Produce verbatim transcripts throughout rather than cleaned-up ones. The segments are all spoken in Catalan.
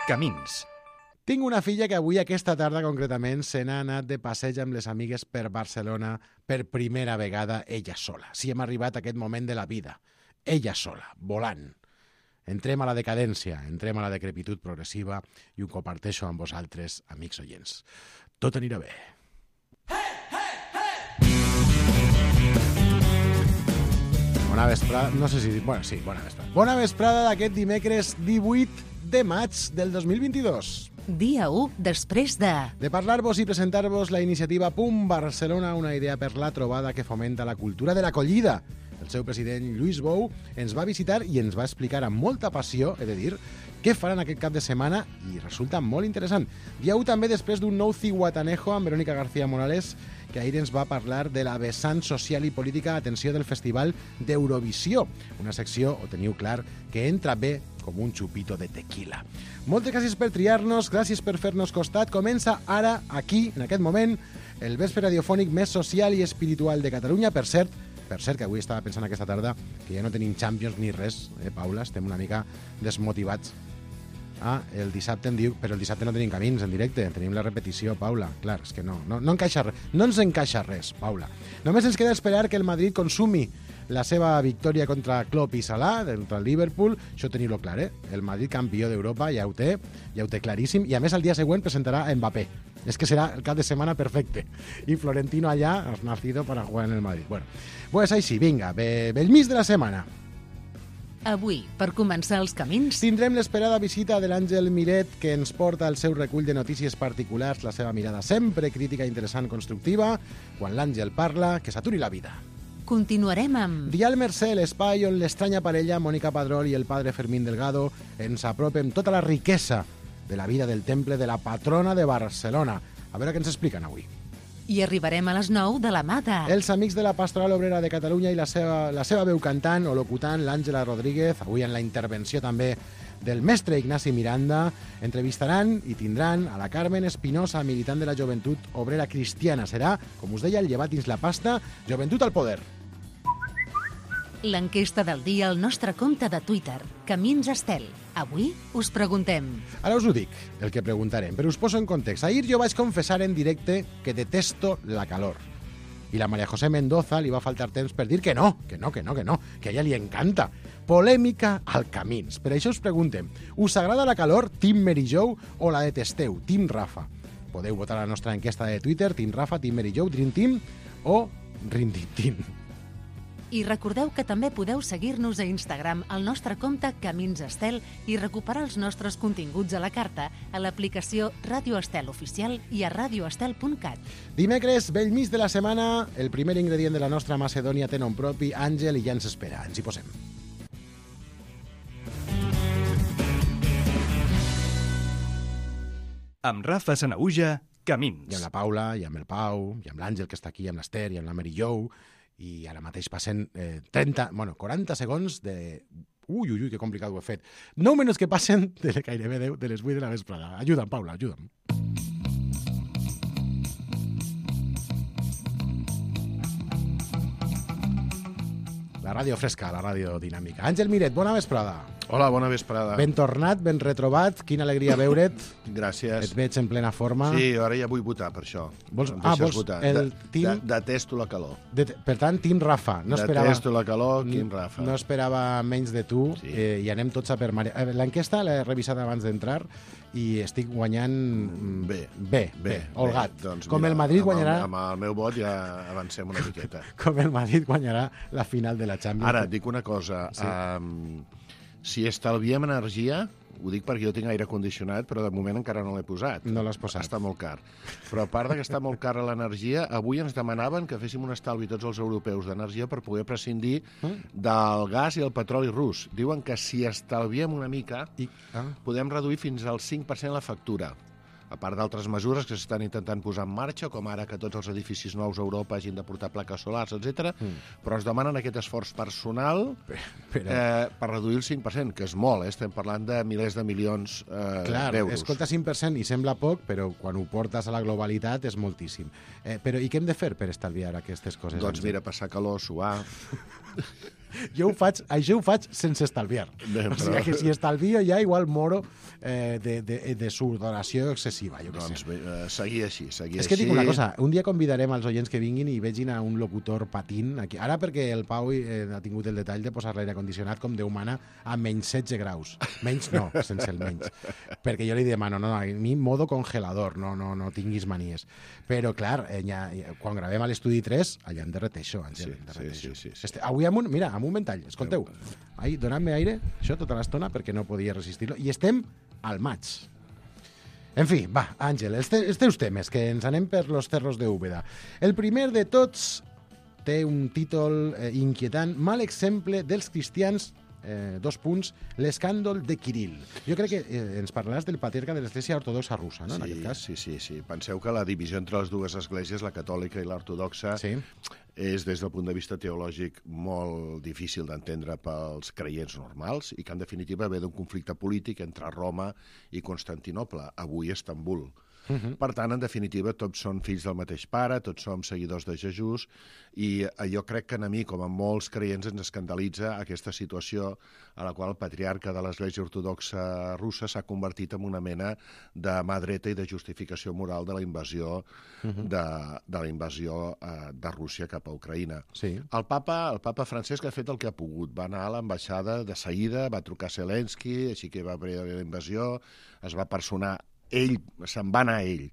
Camins. Tinc una filla que avui, aquesta tarda concretament, se n'ha anat de passeig amb les amigues per Barcelona per primera vegada ella sola. Si hem arribat a aquest moment de la vida. Ella sola, volant. Entrem a la decadència, entrem a la decrepitud progressiva i ho comparteixo amb vosaltres, amics oients. Tot anirà bé. Bona vesprada, no sé si... Bueno, sí, bona vesprada. Bona vesprada d'aquest dimecres divuit de maig del dos mil vint-i-dos. Dia u després de... De parlar-vos i presentar-vos la iniciativa Pum Barcelona, una idea per la trobada que fomenta la cultura de l'acollida. El seu president, Lluís Bou, ens va visitar i ens va explicar amb molta passió, he de dir, què faran aquest cap de setmana i resulta molt interessant. Dia u també després d'un nou ciguatanejo amb Verónica García Morales, que ahir ens va parlar de la vessant social i política, atenció, del Festival d'Eurovisió. Una secció, ho teniu clar, que entra bé com un xupito de tequila. Moltes gràcies per triar-nos, gràcies per fer-nos costat. Comença ara, aquí, en aquest moment, el vespre radiofònic més social i espiritual de Catalunya. Per cert, per cert, que avui estava pensant aquesta tarda que ja no tenim Champions ni res, eh, Paula? Estem una mica desmotivats. Ah, el dissabte em diu, però el dissabte no tenim camins en directe, tenim la repetició, Paula. Clar, és que no, no, no encaixa res, no ens encaixa res, Paula. Només ens queda esperar que el Madrid consumi la seva victòria contra Klopp i Salah, contra el Liverpool. Això teniu-lo clar, eh? El Madrid campió d'Europa ja ho té, ja ho té claríssim, i a més el dia següent presentarà a Mbappé. És que serà el cap de setmana perfecte. I Florentino allà has nacido para jugar en el Madrid. Bueno, pues així, vinga, be, bell mig de la setmana. Avui, per començar els camins... Tindrem l'esperada visita de l'Àngel Miret, que ens porta el seu recull de notícies particulars, la seva mirada sempre crítica, interessant, constructiva. Quan l'Àngel parla, que s'aturi la vida. Continuarem amb... Dial Mercè, l'espai on l'estranya parella Mónica Padrol i el padre Fermín Delgado ens apropen tota la riquesa de la vida del temple de la patrona de Barcelona. A veure què ens expliquen avui. I arribarem a les nou de la mà de... Els amics de la Pastoral Obrera de Catalunya i la seva, la seva veu cantant o locutant, l'Àngela Rodríguez, avui en la intervenció també del mestre Ignasi Miranda, entrevistaran i tindran a la Carmen Espinosa, militant de la Joventut Obrera Cristiana. Serà, com us deia, el llevat dins la pasta, Joventut al poder. L'enquesta del dia al nostre compte de Twitter, Camins Estel. Avui us preguntem... Ara us ho dic, el que preguntarem, però us poso en context. Ahir jo vaig confessar en directe que detesto la calor. I la María José Mendoza li va faltar temps per dir que no, que no, que no, que no, que a ella li encanta. Polèmica al Camins. Per això us preguntem, us agrada la calor, Team Mary Jo, o la detesteu, Team Rafa? Podeu votar a la nostra enquesta de Twitter, Team Rafa, Team Mary Jo, Dream Team o Rintintín. I recordeu que també podeu seguir-nos a Instagram al nostre compte Camins Estel i recuperar els nostres continguts a la carta a l'aplicació Ràdio Estel Oficial i a radioestel punt cat. Dimecres, bell mig de la setmana, el primer ingredient de la nostra Macedònia té nom propi, Àngel, i ja ens espera. Ens hi posem. Amb Rafa Sanaüja, Camins. I amb la Paula, i amb el Pau, i amb l'Àngel, que està aquí, amb l'Ester, i amb la Mary Jo. I ara mateix passen eh, trenta, bueno, quaranta segons de... Ui, ui, ui, que complicat ho he fet. nou minuts que passen de gairebé deu de les vuit de la vesprada. Ajuda'm, Paula, ajuda'm. La ràdio fresca, la ràdio dinàmica. Àngel Miret, bona vesprada. Hola, bona vesprada. Ben tornat, ben retrobat. Quina alegria veure't. Gràcies. Et veig en plena forma. Sí, ara ja vull votar, per això. Vols... Em Ah, deixes vols votar. el De, team... de, detesto la calor. De... Per tant, Team Rafa. No esperava... Detesto la calor, Team Rafa. No esperava menys de tu, Sí. eh, i anem tots a per mare. Eh, L'enquesta l'he revisat abans d'entrar i estic guanyant Bé. bé, bé, Bé, holgat. bé. Doncs com mira, el Madrid amb guanyarà... El, amb el meu vot ja avancem una miqueta. Com el Madrid guanyarà la final de la Champions. Ara, dic una cosa. Sí. Um, si estalviem energia, ho dic perquè jo tinc aire condicionat, però de moment encara no l'he posat. No l'has posat. Està molt car. Però a part de que està molt cara l'energia, avui ens demanaven que féssim un estalvi tots els europeus d'energia per poder prescindir Mm. del gas i el petroli rus. Diuen que si estalviem una mica, I... Ah. podem reduir fins al cinc per cent la factura. A part d'altres mesures que s'estan intentant posar en marxa, com ara que tots els edificis nous a Europa hagin de portar plaques solars, etcètera. Mm. Però ens demanen aquest esforç personal Però... eh, per reduir el cinc per cent, que és molt, eh? Estem parlant de milers de milions eh, Clar, d'euros. escolta, cinc per cent i sembla poc, però quan ho portes a la globalitat és moltíssim. Eh, però i què hem de fer per estalviar aquestes coses? Doncs mira, passar calor, suar... Jo ho faig, això ho faig sense estalviar. Bé, O sigui però- que si estalvio ja igual moro eh, de, de, de sudoració excessiva, jo què Doncs sé. bé, eh, seguir així, seguir És que així. dic una cosa, un dia convidarem als oients que vinguin i vegin a un locutor patint aquí. Ara perquè el Pau eh, ha tingut el detall de posar l'aire condicionat com Déu mana a menys setze graus. Menys no, sense el menys. Perquè jo li demano, no, no, a mi modo congelador, no, no, no tinguis manies. Però, clar, eh, ja, quan gravem a l'estudi tres, allà em derrete això, Àngel, Sí, em derrete sí, això. sí, sí, sí. Este, avui amb un, mira, amb un ventall, escolteu, ai, donant-me aire, això tota l'estona, perquè no podia resistir-lo, i estem al maig. En fi, va, Àngel, els, te els teus temes, que ens anem per los cerros de Úbeda. El primer de tots té un títol eh, inquietant, mal exemple dels cristians, eh, dos punts, l'escàndol de Kirill. Jo crec que eh, ens parlaràs del patriarca de l'Església Ortodoxa Russa, no?, en aquest cas. Sí, sí, sí. Penseu que la divisió entre les dues esglésies, la catòlica i l'ortodoxa, Sí. és, des del punt de vista teològic, molt difícil d'entendre pels creients normals i que, en definitiva, ve d'un conflicte polític entre Roma i Constantinoble, avui Estambul. Uh -huh. Per tant, en definitiva, tots són fills del mateix pare, tots som seguidors de Jesús, i jo crec que a mi, com a molts creients, ens escandalitza aquesta situació a la qual el patriarca de l'Església Ortodoxa Russa s'ha convertit en una mena de mà dreta i de justificació moral de la invasió, uh -huh. de, de la invasió eh, de Rússia cap a Ucraïna. Sí. El papa, el papa Francesc ha fet el que ha pogut. Va anar a l'ambaixada de seguida, va trucar a Zelensky, així que va haver la invasió, es va personar ell, se'n va anar ell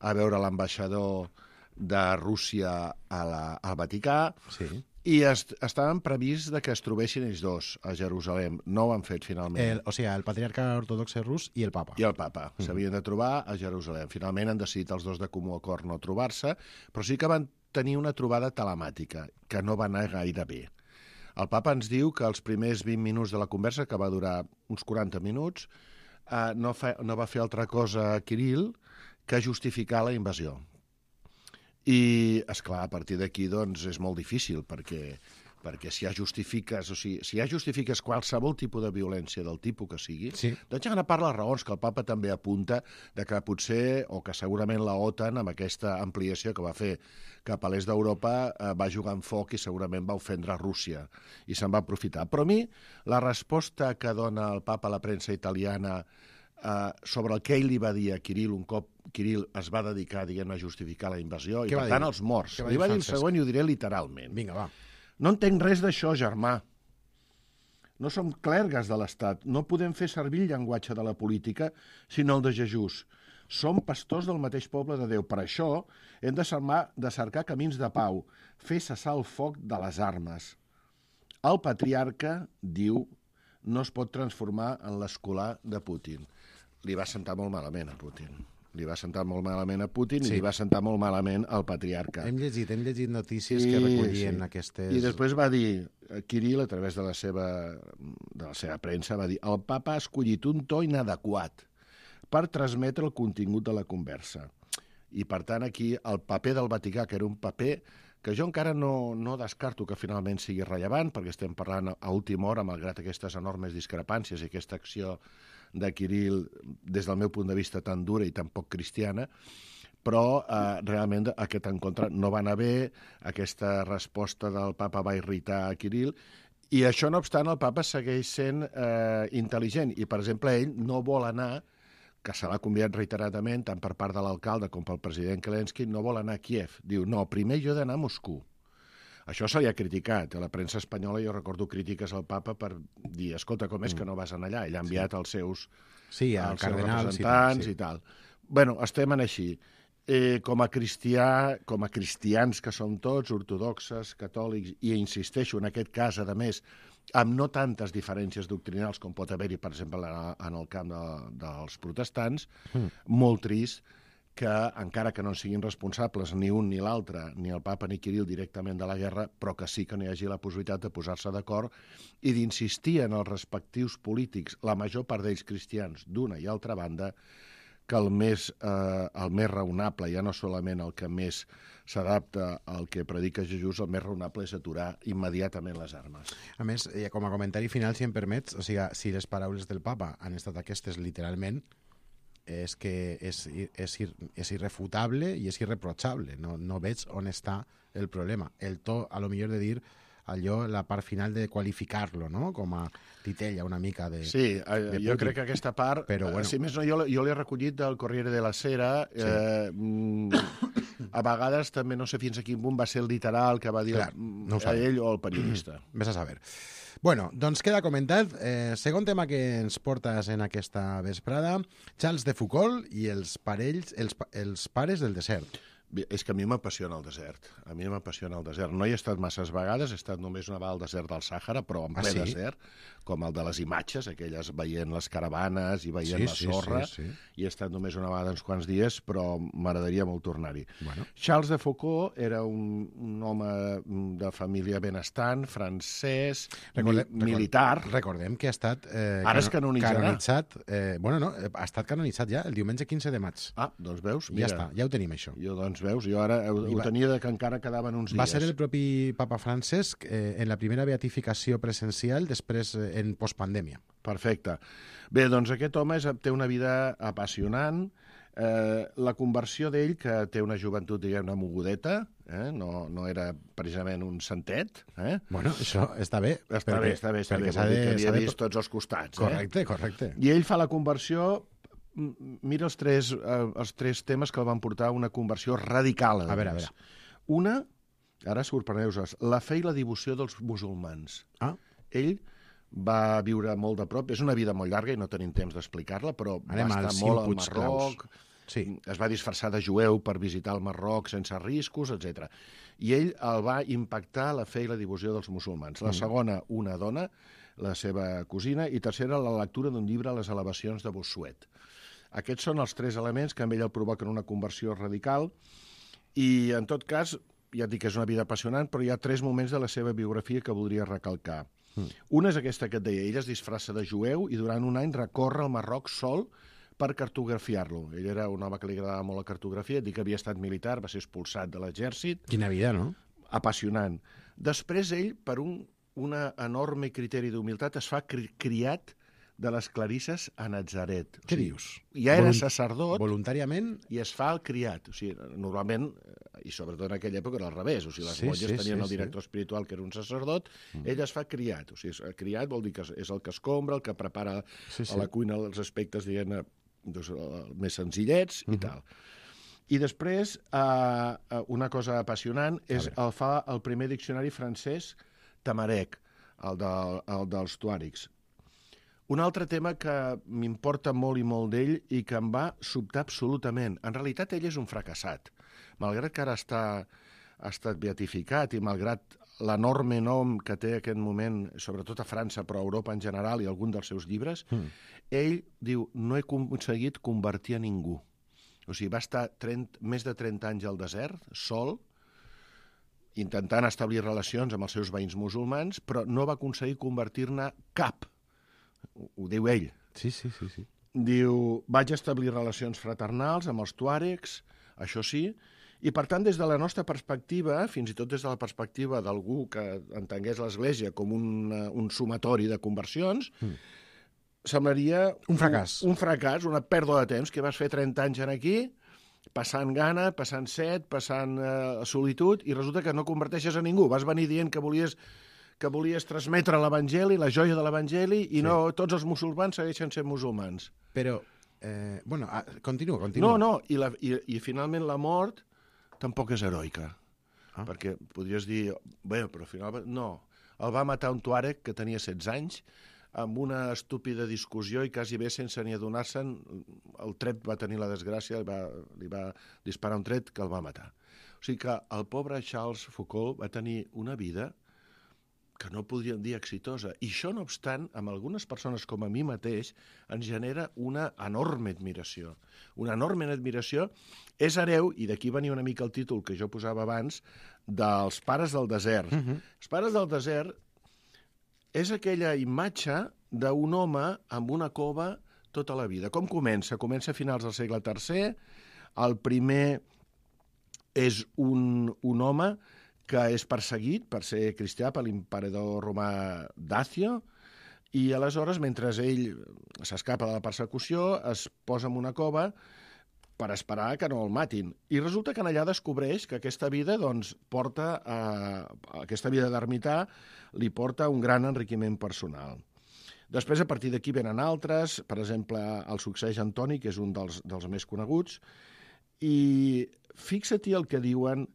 a veure l'ambaixador de Rússia a la, al Vaticà, Sí. i est, estaven previst de que es trobessin ells dos a Jerusalem. No ho han fet, finalment. El, o sigui, el patriarca ortodoxe rus i el papa. I el papa. S'havien de trobar a Jerusalem. Finalment han decidit els dos de comú acord no trobar-se, però sí que van tenir una trobada telemàtica, que no va anar gaire bé. El papa ens diu que els primers vint minuts de la conversa, que va durar uns quaranta minuts, eh, no, fa, no va fer altra cosa a Kirill que justificar la invasió. I, és clar, a partir d'aquí doncs, és molt difícil, perquè, perquè si ja justifiques, o sigui, si ja justifiques qualsevol tipus de violència del tipus que sigui, Sí. doncs hi ha una part de les raons que el papa també apunta de que potser, o que segurament la OTAN, amb aquesta ampliació que va fer cap a l'est d'Europa, eh, va jugar amb foc i segurament va ofendre Rússia i se'n va aprofitar. Però a mi, la resposta que dona el papa a la premsa italiana Uh, sobre el que ell li va dir a Kirill un cop Kirill es va dedicar, diguem, a justificar la invasió, Què i va per dir? tant els morts. Què va Li dir va dir el Francesc? següent i ho diré literalment. Vinga, va. No entenc res d'això, germà. No som clergues de l'Estat. No podem fer servir el llenguatge de la política, sinó el de Jesús. Som pastors del mateix poble de Déu. Per això hem de, cermar, de cercar camins de pau, fer cessar el foc de les armes. El patriarca, diu, no es pot transformar en l'escolà de Putin. Li va sentar molt malament a Putin. Li va sentar molt malament a Putin, sí, i li va sentar molt malament al patriarca. Hem llegit, hem llegit notícies que recollien sí. aquestes... I després va dir, Kirill, a través de la seva, de la seva premsa, va dir el papa ha escollit un to inadequat per transmetre el contingut de la conversa. I, per tant, aquí el paper del Vaticà, que era un paper que jo encara no, no descarto que finalment sigui rellevant, perquè estem parlant a última hora, malgrat aquestes enormes discrepàncies i aquesta acció de Kirill, des del meu punt de vista, tan dura i tan poc cristiana, però eh, realment aquest encontre no va anar bé, aquesta resposta del papa va irritar a Kirill, i això, no obstant, el papa segueix sent eh, intel·ligent, i, per exemple, ell no vol anar, que se l'ha convidat reiteradament, tant per part de l'alcalde com pel president Zelensky, no vol anar a Kiev. Diu, no, primer jo he d'anar a Moscou. Això se li ha criticat. A la premsa espanyola jo recordo crítiques al papa per dir, escolta, com és que no vas anar allà? Ell ha enviat sí. els seus, sí, els seus cardenals representants i tal. Sí. I tal. Bueno, estem en així. Eh, com a cristià, com a cristians que som tots, ortodoxes, catòlics, i insisteixo, en aquest cas, a més, amb no tantes diferències doctrinals com pot haver-hi, per exemple, en el camp de, dels protestants, mm. molt trist que, encara que no siguin responsables ni un ni l'altre, ni el papa ni Kirill directament de la guerra, però que sí que no hi hagi la possibilitat de posar-se d'acord i d'insistir en els respectius polítics, la major part d'ells cristians, d'una i altra banda, que el més, eh, el més raonable, ja no solament el que més s'adapta al que predica Jesús, el més raonable és aturar immediatament les armes. A més, com a comentari final, si em permets, o sigui, si les paraules del papa han estat aquestes literalment, és que és, és, és irrefutable i és irreprotxable. No, no veig on està el problema. El to, a lo millor, de dir allò, la part final de qualificar-lo, no? Com a titella una mica de... Sí, eh, de jo Putin. crec que aquesta part, Però, eh, bueno. si més no, jo, jo l'he recollit del Corriere della Sera. Sí. Eh, mm, a vegades també no sé fins a quin punt va ser el literal que va dir Clar, mm, no ho a sabem. ell o el periodista. Ves a saber. Bueno, doncs queda comentat. Eh, segon tema que ens portes en aquesta vesprada, Charles de Foucault i els parells, els, pa- els pares del desert. Bé, és que a mi m'apassiona el desert. A mi m'apassiona el desert. No hi he estat masses vegades, he estat només una vegada al desert del Sàhara, però en Ah, ple sí? desert, com el de les imatges, aquelles veient les caravanes i veient Sí, la sí, sorra. sí, sí. I he estat només una vegada uns quants dies, però m'agradaria molt tornar-hi. Bueno. Charles de Foucault era un, un home de família benestant, francès, Recordem, mi, militar. Recordem que ha estat... Eh, Ara es cano- canonitzarà. Canonitzat, eh, bueno, no, eh, ha estat canonitzat ja el diumenge quinze de maig. Ah, doncs veus? Ja està, ja ho tenim, això. Jo, doncs veus, jo ara ho, I ho va- tenia de que encara quedaven uns dies. Va ser el propi papa Francesc eh, en la primera beatificació presencial, després eh, en postpandèmia. Perfecte. Bé, doncs aquest home és, té una vida apassionant. Eh, la conversió d'ell, que té una joventut, diguem-ne, mogudeta, eh? no, no era precisament un santet. Eh? Bueno, això està bé. Està perquè- bé, està bé, està bé. perquè s'ha Vol dir de- que havia s'ha de- vist tots els costats. Correcte, correcte. Eh? I ell fa la conversió... m- Mira els tres, eh, els tres temes que el van portar a una conversió radical. A veure, a més. veure. Una, ara sorpreneu-vos, la fe i la devoció dels musulmans. Ah, Ell va viure molt de prop, és una vida molt llarga i no tenim temps d'explicar-la, però Anem va als estar cinc molt al punts claus. Marroc, sí. es va disfressar de jueu per visitar el Marroc sense riscos, etcètera. I ell el va impactar la fe i la devoció dels musulmans. La segona, una dona, la seva cosina, i tercera, la lectura d'un llibre a les elevacions de Bossuet. Aquests són els tres elements que amb ell el provoquen una conversió radical i, en tot cas, ja et dic que és una vida apassionant, però hi ha tres moments de la seva biografia que voldria recalcar. Mm. Una és aquesta que et deia, ell es disfressa de jueu i durant un any recorre el Marroc sol per cartografiar-lo. Ell era un home que li agradava molt la cartografia, dic que havia estat militar, va ser expulsat de l'exèrcit. Quina vida, no? Apassionant. Després ell, per un un enorme criteri d'humilitat, es fa cri criat de les clarisses a Natzaret. Què o sigui, dius? Ja era Volunt- sacerdot Voluntàriament? i es fa el criat. O sigui, normalment, eh, i sobretot en aquella època era al revés, o sigui, les Sí, monges sí, tenien sí, el director espiritual, que era un sacerdot, mm. ell es fa criat. O sigui, el criat vol dir que és el que escombra, el que prepara Sí, sí. a la cuina els aspectes, diguem-ne, doncs, eh, més senzillets Mhm. i tal. I després, eh, eh, una cosa apassionant, és el fa el primer diccionari francès Tamarec, el, del, el dels tuàrics. Un altre tema que m'importa molt i molt d'ell i que em va sobtar absolutament. En realitat, ell és un fracassat. Malgrat que ara està, ha estat beatificat i malgrat l'enorme nom que té en aquest moment, sobretot a França, però a Europa en general i algun dels seus llibres, mm. ell diu, no he aconseguit convertir a ningú. O sigui, va estar trenta, més de trenta anys al desert, sol, intentant establir relacions amb els seus veïns musulmans, però no va aconseguir convertir-ne cap. Ho, ho diu ell. Sí, sí, sí, sí. Diu, vaig establir relacions fraternals amb els tuàregs, això sí, i per tant, des de la nostra perspectiva, fins i tot des de la perspectiva d'algú que entengués l'Església com un, un sumatori de conversions, mm. semblaria... Un fracàs. Un, un fracàs, una pèrdua de temps, que vas fer trenta anys aquí, passant gana, passant set, passant eh, solitud, i resulta que no converteixes a ningú. Vas venir dient que volies que volies transmetre l'Evangeli, la joia de l'Evangeli, i sí. no tots els musulmans segueixen sent musulmans. Però, eh, bueno, ah, continua, continua. No, no, i, la, i, i finalment la mort tampoc és heroica. Ah. Perquè podries dir, bé, però al final... No, el va matar un tuàreg que tenia setze anys, amb una estúpida discussió i quasi bé sense ni adonar-se'n, el tret va tenir la desgràcia, li va, li va disparar un tret que el va matar. O sigui que el pobre Charles Foucault va tenir una vida que no podríem dir exitosa. I això, no obstant, amb algunes persones com a mi mateix, ens genera una enorme admiració. Una enorme admiració. És hereu, i d'aquí venia una mica el títol que jo posava abans, dels pares del desert. Uh-huh. Els pares del desert és aquella imatge d'un home amb una cova tota la vida. Com comença? Comença a finals del segle tercer. El primer és un, un home que és perseguit per ser cristià per l'emperador romà Dacio, i aleshores, mentre ell s'escapa de la persecució, es posa en una cova per esperar que no el matin. I resulta que allà descobreix que aquesta vida, doncs, porta a, aquesta vida d'ermità li porta un gran enriquiment personal. Després, a partir d'aquí, venen altres. Per exemple, el succeeix Antoni, que és un dels, dels més coneguts. I fixa-t'hi el que diuen...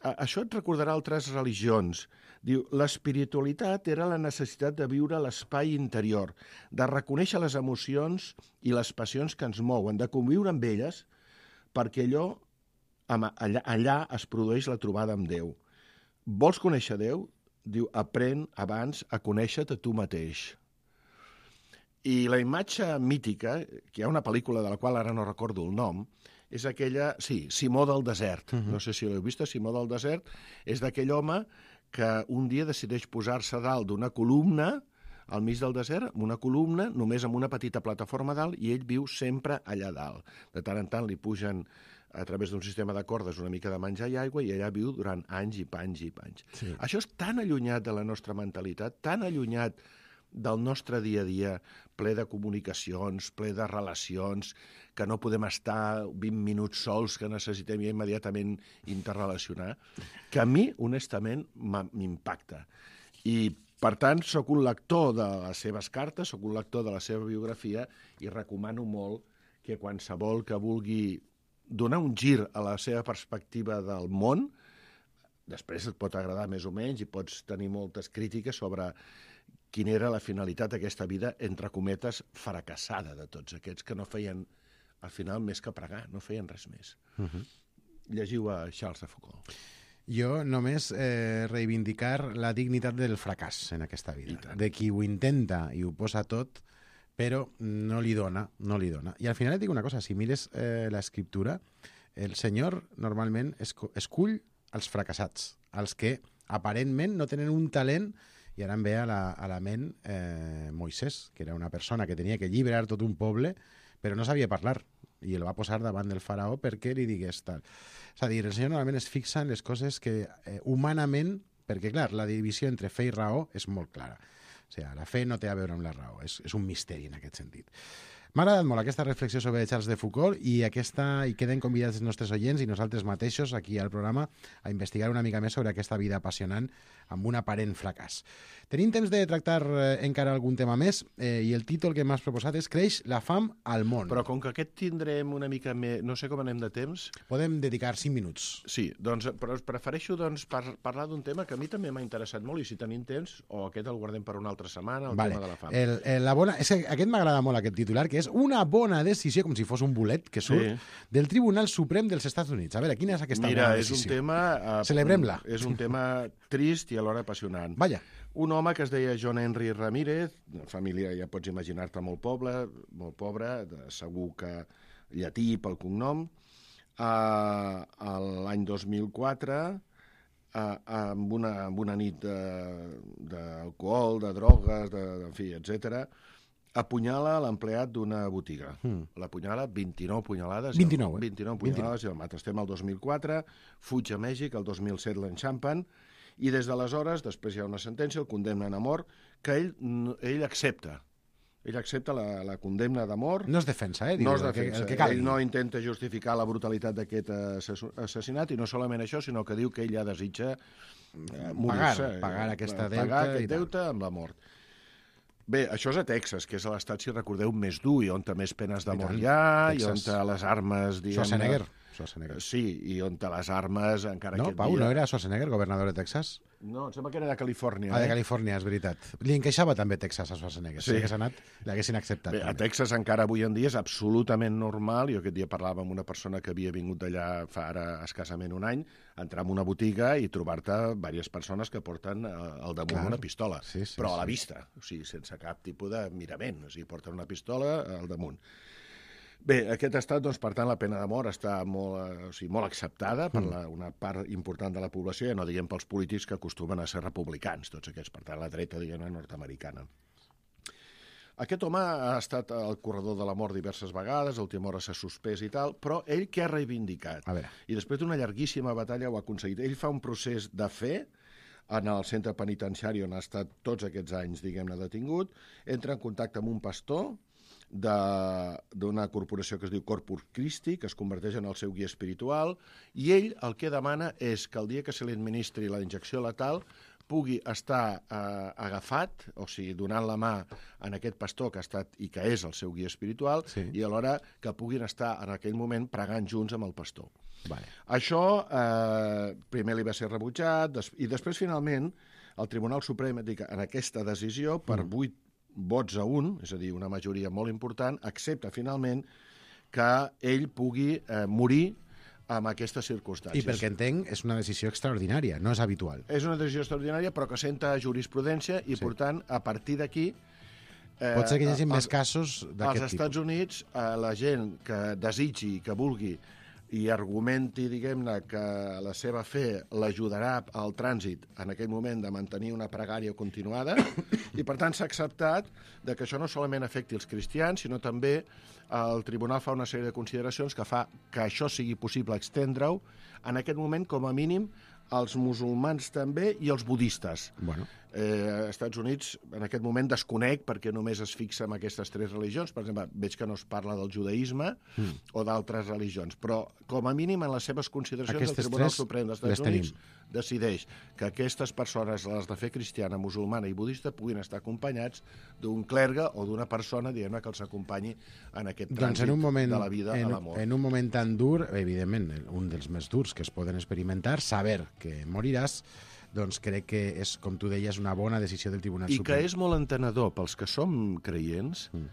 Això et recordarà altres religions. Diu, l'espiritualitat era la necessitat de viure l'espai interior, de reconèixer les emocions i les passions que ens mouen, de conviure amb elles, perquè allò, allà, allà es produeix la trobada amb Déu. Vols conèixer Déu? Diu, aprèn abans a conèixer-te tu mateix. I la imatge mítica, que hi ha una pel·lícula de la qual ara no recordo el nom, és aquella, sí, Simó del desert. Uh-huh. No sé si l'heu vist, Simó del desert és d'aquell home que un dia decideix posar-se dalt d'una columna al mig del desert, amb una columna, només amb una petita plataforma dalt, i ell viu sempre allà dalt. De tant en tant li pugen a través d'un sistema de cordes una mica de menjar i aigua, i allà viu durant anys i panys i panys. Sí. Això és tan allunyat de la nostra mentalitat, tan allunyat del nostre dia a dia, ple de comunicacions, ple de relacions, que no podem estar vint minuts sols, que necessitem immediatament interrelacionar, que a mi, honestament, m'impacta. I, per tant, sóc un lector de les seves cartes, sóc un lector de la seva biografia, i recomano molt que qualsevol que vulgui donar un gir a la seva perspectiva del món, després et pot agradar més o menys i pots tenir moltes crítiques sobre quina era la finalitat d'aquesta vida, entre cometes, fracassada de tots aquests que no feien, al final, més que pregar, no feien res més. Uh-huh. Llegiu a Charles de Foucault. Jo només eh, reivindicar la dignitat del fracàs en aquesta vida, de qui ho intenta i ho posa tot, però no li dona, no li dona. I al final et dic una cosa, si mires eh, l'escriptura, el senyor normalment escull els fracassats, els que aparentment no tenen un talent. I ara em ve a la, a la ment eh, Moisès, que era una persona que tenia que alliberar tot un poble, però no sabia parlar, i el va posar davant del faraó perquè li digués tal. És a dir, el senyor normalment es fixa en les coses que eh, humanament, perquè clar, la divisió entre fe i raó és molt clara. O sigui, la fe no té a veure amb la raó, és, és un misteri en aquest sentit. M'ha agradat molt aquesta reflexió sobre Charles de Foucault i, aquesta, i queden convidats els nostres oients i nosaltres mateixos aquí al programa a investigar una mica més sobre aquesta vida apassionant amb un aparent fracàs. Tenim temps de tractar eh, encara algun tema més eh, i el títol que m'has proposat és Creix la fam al món. Però com que aquest tindrem una mica més... No sé com anem de temps. Podem dedicar cinc minuts. Sí, doncs, però prefereixo doncs, par parlar d'un tema que a mi també m'ha interessat molt i si tenim temps, o aquest el guardem per una altra setmana, el vale. tema de la fam. El, el, la bona... és que aquest m'agrada molt, aquest titular, que és una bona decisió, com si fos un bolet que surt, sí. del Tribunal Suprem dels Estats Units. A veure, quina és aquesta Mira, bona és decisió? Un tema, uh, Celebrem-la. És un tema trist i alhora apassionant. Vaja. Un home que es deia John Henry Ramírez, de família, ja pots imaginar-te, molt poble, molt pobre, de, segur que llatí pel cognom, uh, l'any dos mil quatre, uh, amb, una, amb una nit d'alcohol, de, de drogues, de, en fi, etcètera, apunyala l'empleat d'una botiga. Mm. L'apunyala vint-i-nou punyalades. vint-i-nou, eh? vint-i-nou punyalades i el mata. Estem al dos mil quatre, fuig a Mèxic, el dos mil set l'enxampen, i des d'aleshores, després hi ha una sentència, el condemnen a mort, que ell, ell accepta. Ell accepta la, la condemna de mort. No es defensa, eh? Diu, no es defensa. El que, el que ell no intenta justificar la brutalitat d'aquest assassinat, i no solament això, sinó que diu que ell ja desitja eh, morir-se. Pagar, pagar aquesta deute. Pagar aquest deute amb la mort. Bé, això és a Texas, que és a l'estat, si recordeu, més dur, i on més penes de mort hi ha, i on les armes... Schwarzenegger. Schwarzenegger. Sí, i on les armes, encara no, aquest Pau, dia... No, era Schwarzenegger, governador de Texas? No, em sembla que era de Califòrnia. Ah, de eh? Califòrnia, és veritat. Li encaixava també Texas a Schwarzenegger. Sí. Si hagués anat, l'haguessin acceptat. Bé, a Texas encara avui en dia és absolutament normal. Jo aquest dia parlava amb una persona que havia vingut d'allà fa ara escassament un any, entrar en una botiga i trobar-te diverses persones que porten al damunt Clar. una pistola, sí, sí, però a la sí. vista, o sigui, sense cap tipus de mirament, o sigui, porten una pistola al damunt. Bé, aquest estat, doncs, per tant, la pena de mort està molt, o sigui, molt acceptada per la, una part important de la població, ja no diguem pels polítics que acostumen a ser republicans, tots aquests, per tant, la dreta, diguem-ne, nord-americana. Aquest home ha estat al corredor de la mort diverses vegades, a última hora s'ha suspès i tal, però ell què ha reivindicat? A veure. I després d'una llarguíssima batalla ho ha aconseguit. Ell fa un procés de fe en el centre penitenciari on ha estat tots aquests anys, diguem-ne, detingut, entra en contacte amb un pastor, d'una corporació que es diu Corpus Christi, que es converteix en el seu guia espiritual, i ell el que demana és que el dia que se li administri la injecció letal pugui estar eh, agafat, o sigui, donant la mà en aquest pastor que ha estat i que és el seu guia espiritual, Sí. i alhora que puguin estar en aquell moment pregant junts amb el pastor. Vale. Això eh, primer li va ser rebutjat des i després, finalment, el Tribunal Suprem, dic, en aquesta decisió, per vuit vots a un, és a dir, una majoria molt important, accepta finalment que ell pugui eh, morir amb aquestes circumstàncies. I pel que entenc, és una decisió extraordinària, no és habitual. És una decisió extraordinària, però que senta jurisprudència i, Sí. per tant, a partir d'aquí... Eh, Pot ser que hi hagi els- més casos Als d'aquest Estats tipus. Units, eh, la gent que desitgi, que vulgui i argumenti, diguem-ne, que la seva fe l'ajudarà al trànsit en aquell moment de mantenir una pregària continuada, i per tant s'ha acceptat de que això no solament afecti els cristians, sinó també el tribunal fa una sèrie de consideracions que fa que això sigui possible extendre-ho en aquest moment, com a mínim, als musulmans també i als budistes. Bueno. Eh, als Estats Units, en aquest moment, desconec perquè només es fixa en aquestes tres religions. Per exemple, veig que no es parla del judaïsme mm. o d'altres religions, però com a mínim en les seves consideracions Aquestes el Tribunal tres Suprem dels les Estats Units tenim. decideix que aquestes persones, les de fe cristiana, musulmana i budista, puguin estar acompanyats d'un clergue o d'una persona, diguem-ne, que els acompanyi en aquest Doncs trànsit en un moment, de la vida en, a l'amor. en un moment tan dur, evidentment, un dels més durs que es poden experimentar, saber que moriràs, doncs crec que és, com tu deies, una bona decisió del Tribunal I Suprem. que és molt entenedor pels que som creients. Mm.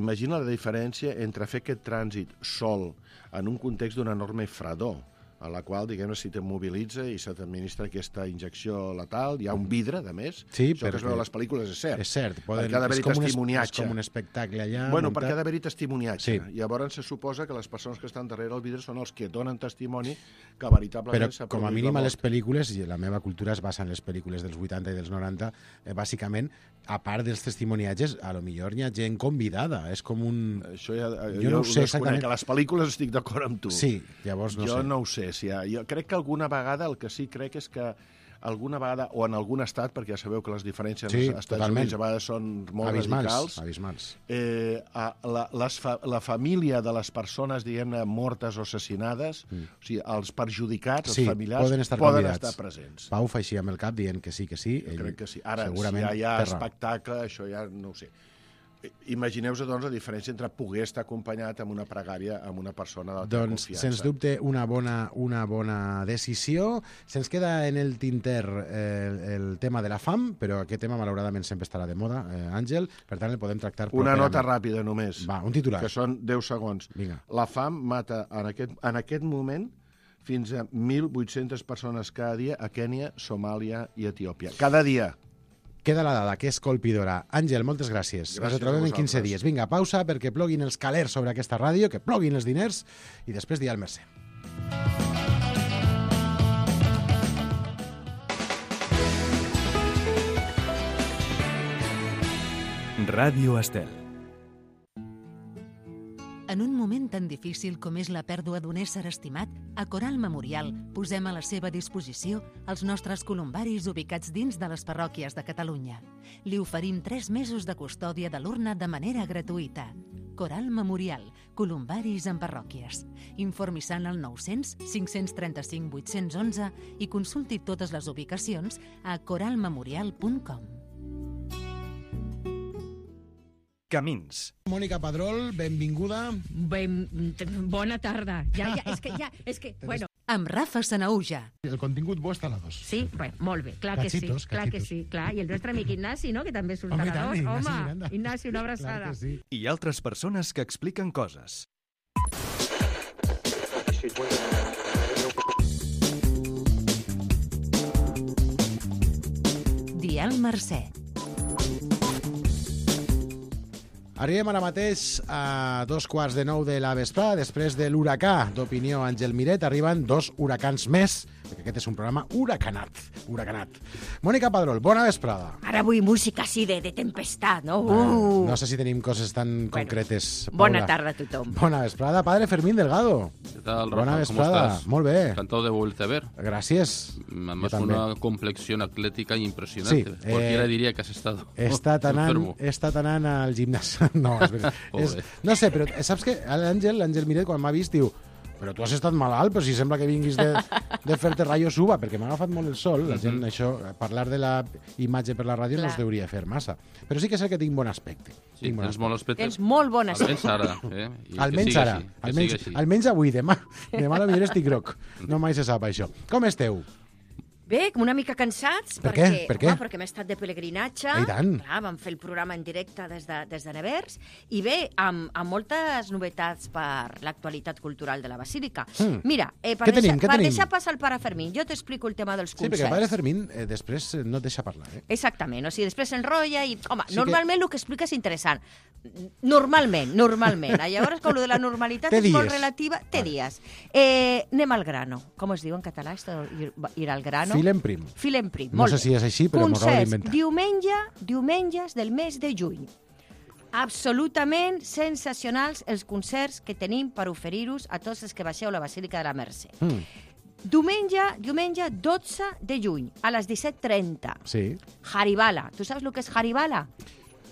Imagina la diferència entre fer aquest trànsit sol en un context d'una enorme fredor, a la qual, diguem-ne, si t'immobilitza i se t'administra aquesta injecció letal, hi ha un vidre, de més. Sí, això que es perquè- veu a les pel·lícules és cert. És cert, poden, Perquè ha d'haver-hi és, com un, es- és testimoniatge. com un espectacle allà. Bueno, muntat. perquè ha d'haver-hi testimoniatge. Sí. Llavors se suposa que les persones que estan darrere el vidre són els que donen testimoni que veritablement Però s'ha com a produït mínim la a les mort. pel·lícules, i la meva cultura es basa en les pel·lícules dels vuitanta i dels noranta, eh, bàsicament, a part dels testimoniatges, a lo millor hi ha gent convidada, és com un... Això ja, Jo jo no ho ho sé desconec. exactament. A les pel·lícules estic d'acord amb tu. Sí, llavors no jo sé. no ho sé. Si ha, jo crec que alguna vegada, el que sí crec és que alguna vegada, o en algun estat, perquè ja sabeu que les diferències Sí, als Estats totalment. Units a vegades són molt abismals, radicals, abismals. eh, a, la, les fa, la família de les persones, diguem-ne, mortes o assassinades, mm. o sigui, els perjudicats, Sí, els familiars, poden estar poden convidats. estar presents. Pau fa així amb el cap dient que sí, que sí. Jo ell crec que sí. Ara, si segurament ja hi ha té raó. espectacle, això ja no ho sé. Imagineu-vos, doncs, la diferència entre poder estar acompanyat amb una pregària amb una persona de la teva Doncs, confiança. sens dubte, una bona, una bona decisió. Se'ns queda en el tinter eh, el tema de la fam, però aquest tema, malauradament, sempre estarà de moda, eh, Àngel, per tant, el podem tractar Una properament. nota ràpida, només. Va, un titular. Que són deu segons. Vinga. La fam mata en aquest, en aquest moment fins a mil vuit-centes persones cada dia a Kènia, Somàlia i Etiòpia. Cada dia. Queda la dada, que és colpidora. Àngel, moltes gràcies. Gràcies Ens a trobem en quinze vosaltres. dies. Vinga, pausa perquè ploguin els calers sobre aquesta ràdio, que ploguin els diners i després dia al Mercè. Ràdio Estel. En un moment tan difícil com és la pèrdua d'un ésser estimat, a Coral Memorial posem a la seva disposició els nostres columbaris ubicats dins de les parròquies de Catalunya. Li oferim tres mesos de custòdia de l'urna de manera gratuïta. Coral Memorial, columbaris en parròquies. Informi-se al nou-cents, cinc-cents trenta-cinc, vuit-cents onze i consulti totes les ubicacions a coral memorial punt com. Camins. Mònica Padrol, benvinguda. Ben, bona tarda. Ja, ja, és que, ja, és que, bueno, Amb Rafa Sanauja. El contingut bo està a la dos. sí, bueno, molt bé, clar que Cachitos, sí, clar que cachitos. sí, clar. I el nostre amic Ignasi, no?, que també surt Home, a i la tant, dos. Ignasi Home, Miranda. Ignasi, una abraçada. Clar que sí. I altres persones que expliquen coses. Dial Mercè. Arribem ara mateix a dos quarts de nou de la vesprada. Després de l'huracà d'opinió Àngel Miret, arriben dos huracans més perquè aquest és un programa huracanat, huracanat. Mònica Padrol, bona vesprada. Ara vull música així de, de tempestat, no? Uh. Uh. No sé si tenim coses tan Bueno, concretes. Bona Paula. tarda a tothom. Bona vesprada, padre Fermín Delgado. ¿Qué tal, Rafa? Bona ¿Cómo vesprada, estás? molt bé. Encantado de volverte a ver. Gràcies. Además, Jo també. una complexión atlética impresionante. Sí, eh, Cualquiera diría que has estado He estat anant, enfermo. he estat anant al gimnàs. No, és veritat. és, Pobre. no sé, però saps que l'Àngel, l'Àngel Miret, quan m'ha vist, diu però tu has estat malalt, però si sembla que vinguis de, de fer-te rayo suba, perquè m'ha agafat molt el sol. La gent, això, parlar de la imatge per la ràdio no Clar. es deuria fer massa. Però sí que és el que tinc bon aspecte. Sí, Tinc bon tens aspecte. molt aspecte. Tens molt bona Almenys ara. Eh? I que Almenys sigui ara, així, que almenys, sigui així. almenys avui, demà. Demà a la millor estic groc. No mai se sap això. Com esteu? Bé, una mica cansats, Per què? perquè, Per què? Home, perquè hem estat de pelegrinatge. I tant. Clar, vam fer el programa en directe des de, des de Nevers, i bé, amb, amb moltes novetats per l'actualitat cultural de la Basílica. Mm. Mira, eh, per, Què tenim, deixar, què per tenim? deixar passar el pare Fermín, jo t'explico el tema dels Sí, concerts. perquè el padre Fermín eh, després eh, no et deixa parlar. Eh? Exactament, o sigui, després s'enrotlla i... Home, Sí sí normalment que... el que explica és interessant. Normalment, normalment. Llavors, com lo de la normalitat Té és molt dies. relativa, té Vale. dies. Eh, anem al grano. Com es diu en català, esto, ir, ir al grano? Fil en prim. Fil en prim, No molt sé bé. si és així, però m'ho acabo Concerts, d'inventar. diumenge, diumenges del mes de juny. Absolutament sensacionals els concerts que tenim per oferir-vos a tots els que baixeu a la Basílica de la Mercè. Mm. Diumenge, diumenge dotze de juny, a les disset trenta. Sí. Haribala. Tu saps el que és Haribala?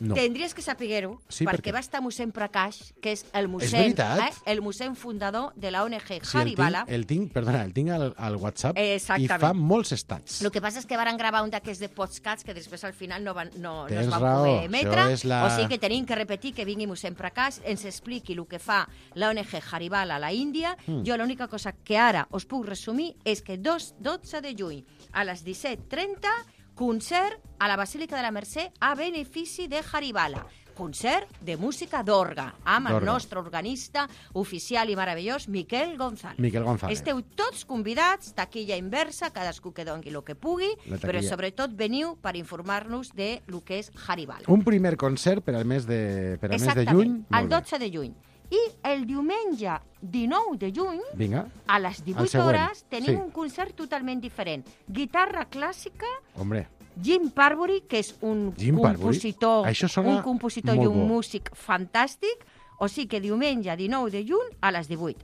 No. Tendries que saber-ho, Sí, perquè perquè- va estar mossèn Prakash, que és el mossèn, veritat? eh, el mossèn fundador de la O N G Sí, el Haribala. tinc, el tinc, perdona, el tinc al, al WhatsApp i Exactament. fa molts estats. El que passa és que varen gravar un d'aquests de podcasts que després al final no, van, no, no es Tens van raó, poder emetre, això és la- o sigui que tenim que repetir que vingui mossèn Prakash, ens expliqui el que fa la O N G Haribala a la Índia. Mm. Jo l'única cosa que ara us puc resumir és que dos, dotze de juny a les disset trenta, concert a la Basílica de la Mercè a benefici de Haribala. Concert de música d'orga, amb el D'orga. nostre organista oficial i meravellós, Miquel González. Miquel González. Esteu tots convidats, taquilla inversa, cadascú que doni el que pugui, La però taquilla. sobretot veniu per informar-nos de lo que és Haribala. Un primer concert per al mes de, per al mes de Exactament, juny. el Molt bé. dotze de juny. I el diumenge dinou de juny, Vinga, a les divuit següent, hores, tenim sí. un concert totalment diferent. Guitarra clàssica, hombre, Jim Parbury, que és un Jim Parbury? compositor, Això sona un compositor i molt un bo. músic fantàstic, o sigui que diumenge dinou de juny a les divuit.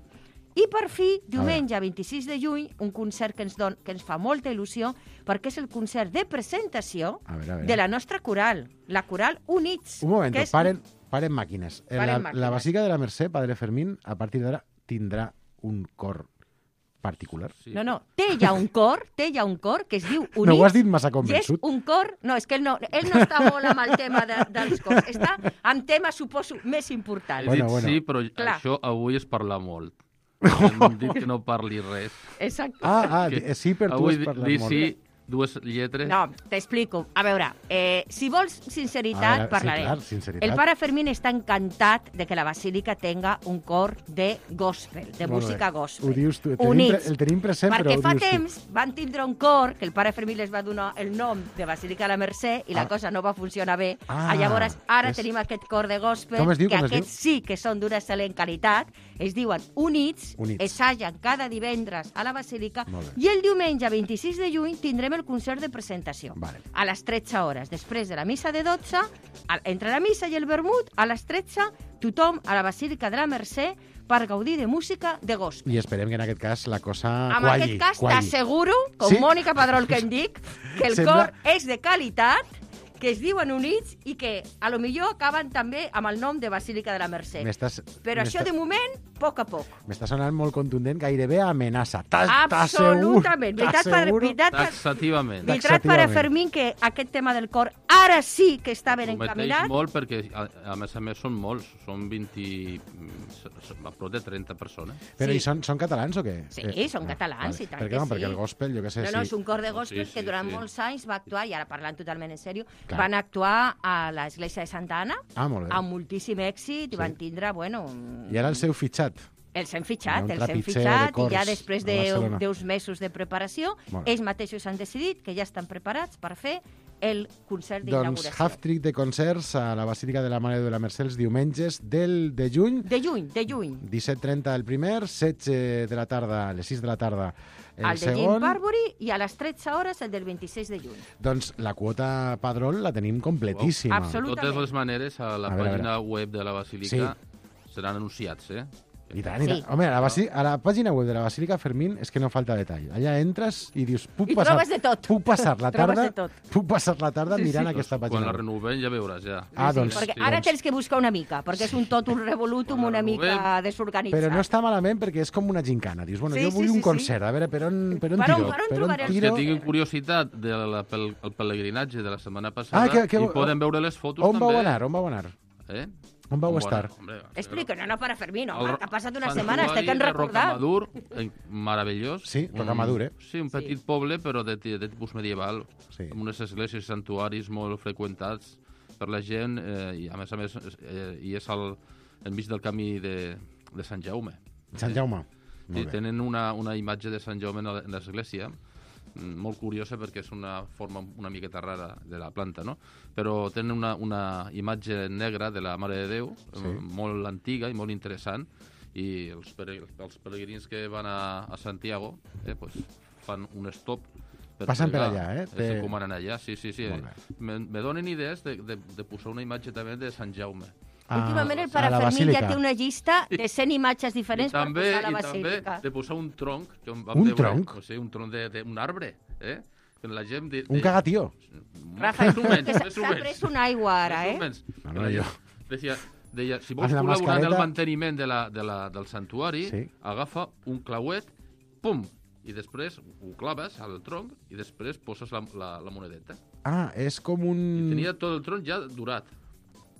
I per fi, diumenge vint-i-sis de juny, un concert que ens, don, que ens fa molta il·lusió, perquè és el concert de presentació A veure, a veure. de la nostra coral, la coral Units. un moment, que és... paren, paren màquines. Paren la, màquines. la Basílica de la Mercè, padre Fermín, a partir d'ara tindrà un cor particular. Sí. No, no, té ja un cor, té ja un cor que es diu Units. No ho has dit massa I és convençut. un cor... No, és que ell no, ell no està molt amb el tema de, dels cors. Està amb temes, suposo, més importants. He Bueno, dit bueno. sí, però Clar. això avui és parlar molt. Hem dit que no parli res. Exacte. Ah, ah, Que eh, sí, per tu avui has parlat dir molt. sí, dues lletres. No, t'explico. A veure, eh, si vols A sinceritat, veure, sí, parlarem. clar, sinceritat. El pare Fermín està encantat de que la Basílica tenga un cor de gospel, de Molt música bé. gospel. Ho dius tu, el tenim, Units. pre- el tenim present, Perquè però ho fa dius tu. temps van tindre un cor que el pare Fermín les va donar el nom de Basílica de la Mercè i la Ah. cosa no va funcionar bé. Ah, Llavors, ara és- tenim aquest cor de gospel, Com es diu, que com es aquests sí que són d'una excel·lent qualitat, es diuen Units, Units. assagen cada divendres a la Basílica, Molt bé. i el diumenge vint-i-sis de juny tindrem el concert de presentació. Vale. A les tretze hores, després de la missa de dotze, a- entre la missa i el vermut, a les tretze, tothom a la Basílica de la Mercè per gaudir de música de gospel. I esperem que en aquest cas la cosa En qualli. aquest cas, qualli. t'asseguro, com Sí? Mònica Padrol que em dic, que el Sembla- cor és de qualitat, que es diuen Units i que a lo millor acaben també amb el nom de Basílica de la Mercè. M'estàs Però això, m'està- de moment, a poc a poc. m'està sonant molt contundent, gairebé amenaça. T'as- Absolutament. Veritat, per, t'asseguro- veritat, per, Taxativament. Tax- veritat per a Taxativament. Fermín que aquest tema del cor ara sí que està ben Prometeix encaminat. molt perquè, a, a més a més, són molts. Són vint... mm, a prop de trenta persones. Però Sí. i són, són catalans o què? Sí, Eh, són ah, catalans, vale. i tant Perquè, que no, sí. perquè el gospel, jo què sé, No, no, és sí. un cor de Sí, gospel sí, que durant sí. molts anys va actuar, i ara parlant totalment en sèrio, Clar. van actuar a l'església de Santa Anna Ah, molt bé. amb moltíssim èxit i Sí. van tindre, bueno... I ara el seu fitxat. Els hem Hi ha fitxat, un els hem trepitzer de fitxat, i cors ja després a de Barcelona. d'uns mesos de preparació, Molt bé. ells mateixos han decidit que ja estan preparats per fer el concert Doncs d'inauguració. half-trick de concerts a la Basílica de la Mare de la Mercè els diumenges del de juny. De juny, de juny. disset trenta el primer, setze de la tarda, a les sis de la tarda el, El de Jim segon. Barbury i a les tretze hores el del vint-i-sis de juny. Doncs la quota Padrón la tenim completíssima. Wow. Absolut. De totes les maneres, a la A veure, a pàgina web de la Basílica seran anunciats, eh? I tant, i Sí. tant. Home, a la, Basí- a la pàgina web de la Basílica Fermín és que no falta detall. Allà entres i dius... Puc I passar, trobes de tot. Puc passar la Trobes tarda, de tot. puc passar la tarda Sí, mirant sí. aquesta Quan pàgina la web. renovem ja veuràs, ja. Ah, doncs, Perquè sí, ara doncs. tens que buscar una mica, perquè és un tot un revolutum Quan la una mica renovem. desorganitzat. Però no està malament perquè és com una gincana. Dius, bueno, Sí, jo sí, vull sí, un sí. concert, a veure, per on, per on Per on- tiro? per on trobaré els Els tiro? que tinguin curiositat del pel, el pelegrinatge de la setmana passada Ah, que- que- i poden veure les fotos On també. vau anar? On vau anar? Eh? On vau On estar? Hombre, Explica, no, no, para Fermín, el home, que ha passat una santuari setmana, estic en de recordar. Rocamadur, eh, meravellós. Sí, Un- Rocamadur, eh? Sí, un petit poble, però de, ti- de tipus medieval, Sí. amb unes esglésies i santuaris molt freqüentats per la gent, eh, i a més a més eh, i és al, enmig del camí de, de Sant Jaume. Sant Jaume. Sí, Molt bé. tenen una, una imatge de Sant Jaume en la- en l'església, mm, molt curiosa perquè és una forma una miqueta rara de la planta, no? Però tenen una, una imatge negra de la Mare de Déu, Sí. eh, molt antiga i molt interessant, i els, pere, els peregrins que van a, a Santiago eh, pues, fan un stop per Passen per pregar. allà, eh? Es Té- recomanen allà, sí, sí, sí. Molt bé. Me, me donen idees de, de, de posar una imatge també de Sant Jaume. Ah, Últimament el a Pare la Fermín ja Basílica. té una llista de cent imatges I diferents també, per posar a la i també Basílica. de posar un tronc. Que vam Un veure, tronc? O sigui, un tronc d'un arbre, eh? Que la gent... De, de, Un cagatió. Rafa, més o menys, que s'ha més o s'ha menys. pres una aigua ara, Més o eh? menys. No, Que no, la jo. gent Deia, deia, si vols Amb la col·laborar en el mascareta- manteniment de la, de la, del santuari, Sí. agafa un clauet, pum, i després ho claves al tronc i després poses la, la, la monedeta. Ah, és com I un... tenia tot el tronc ja durat,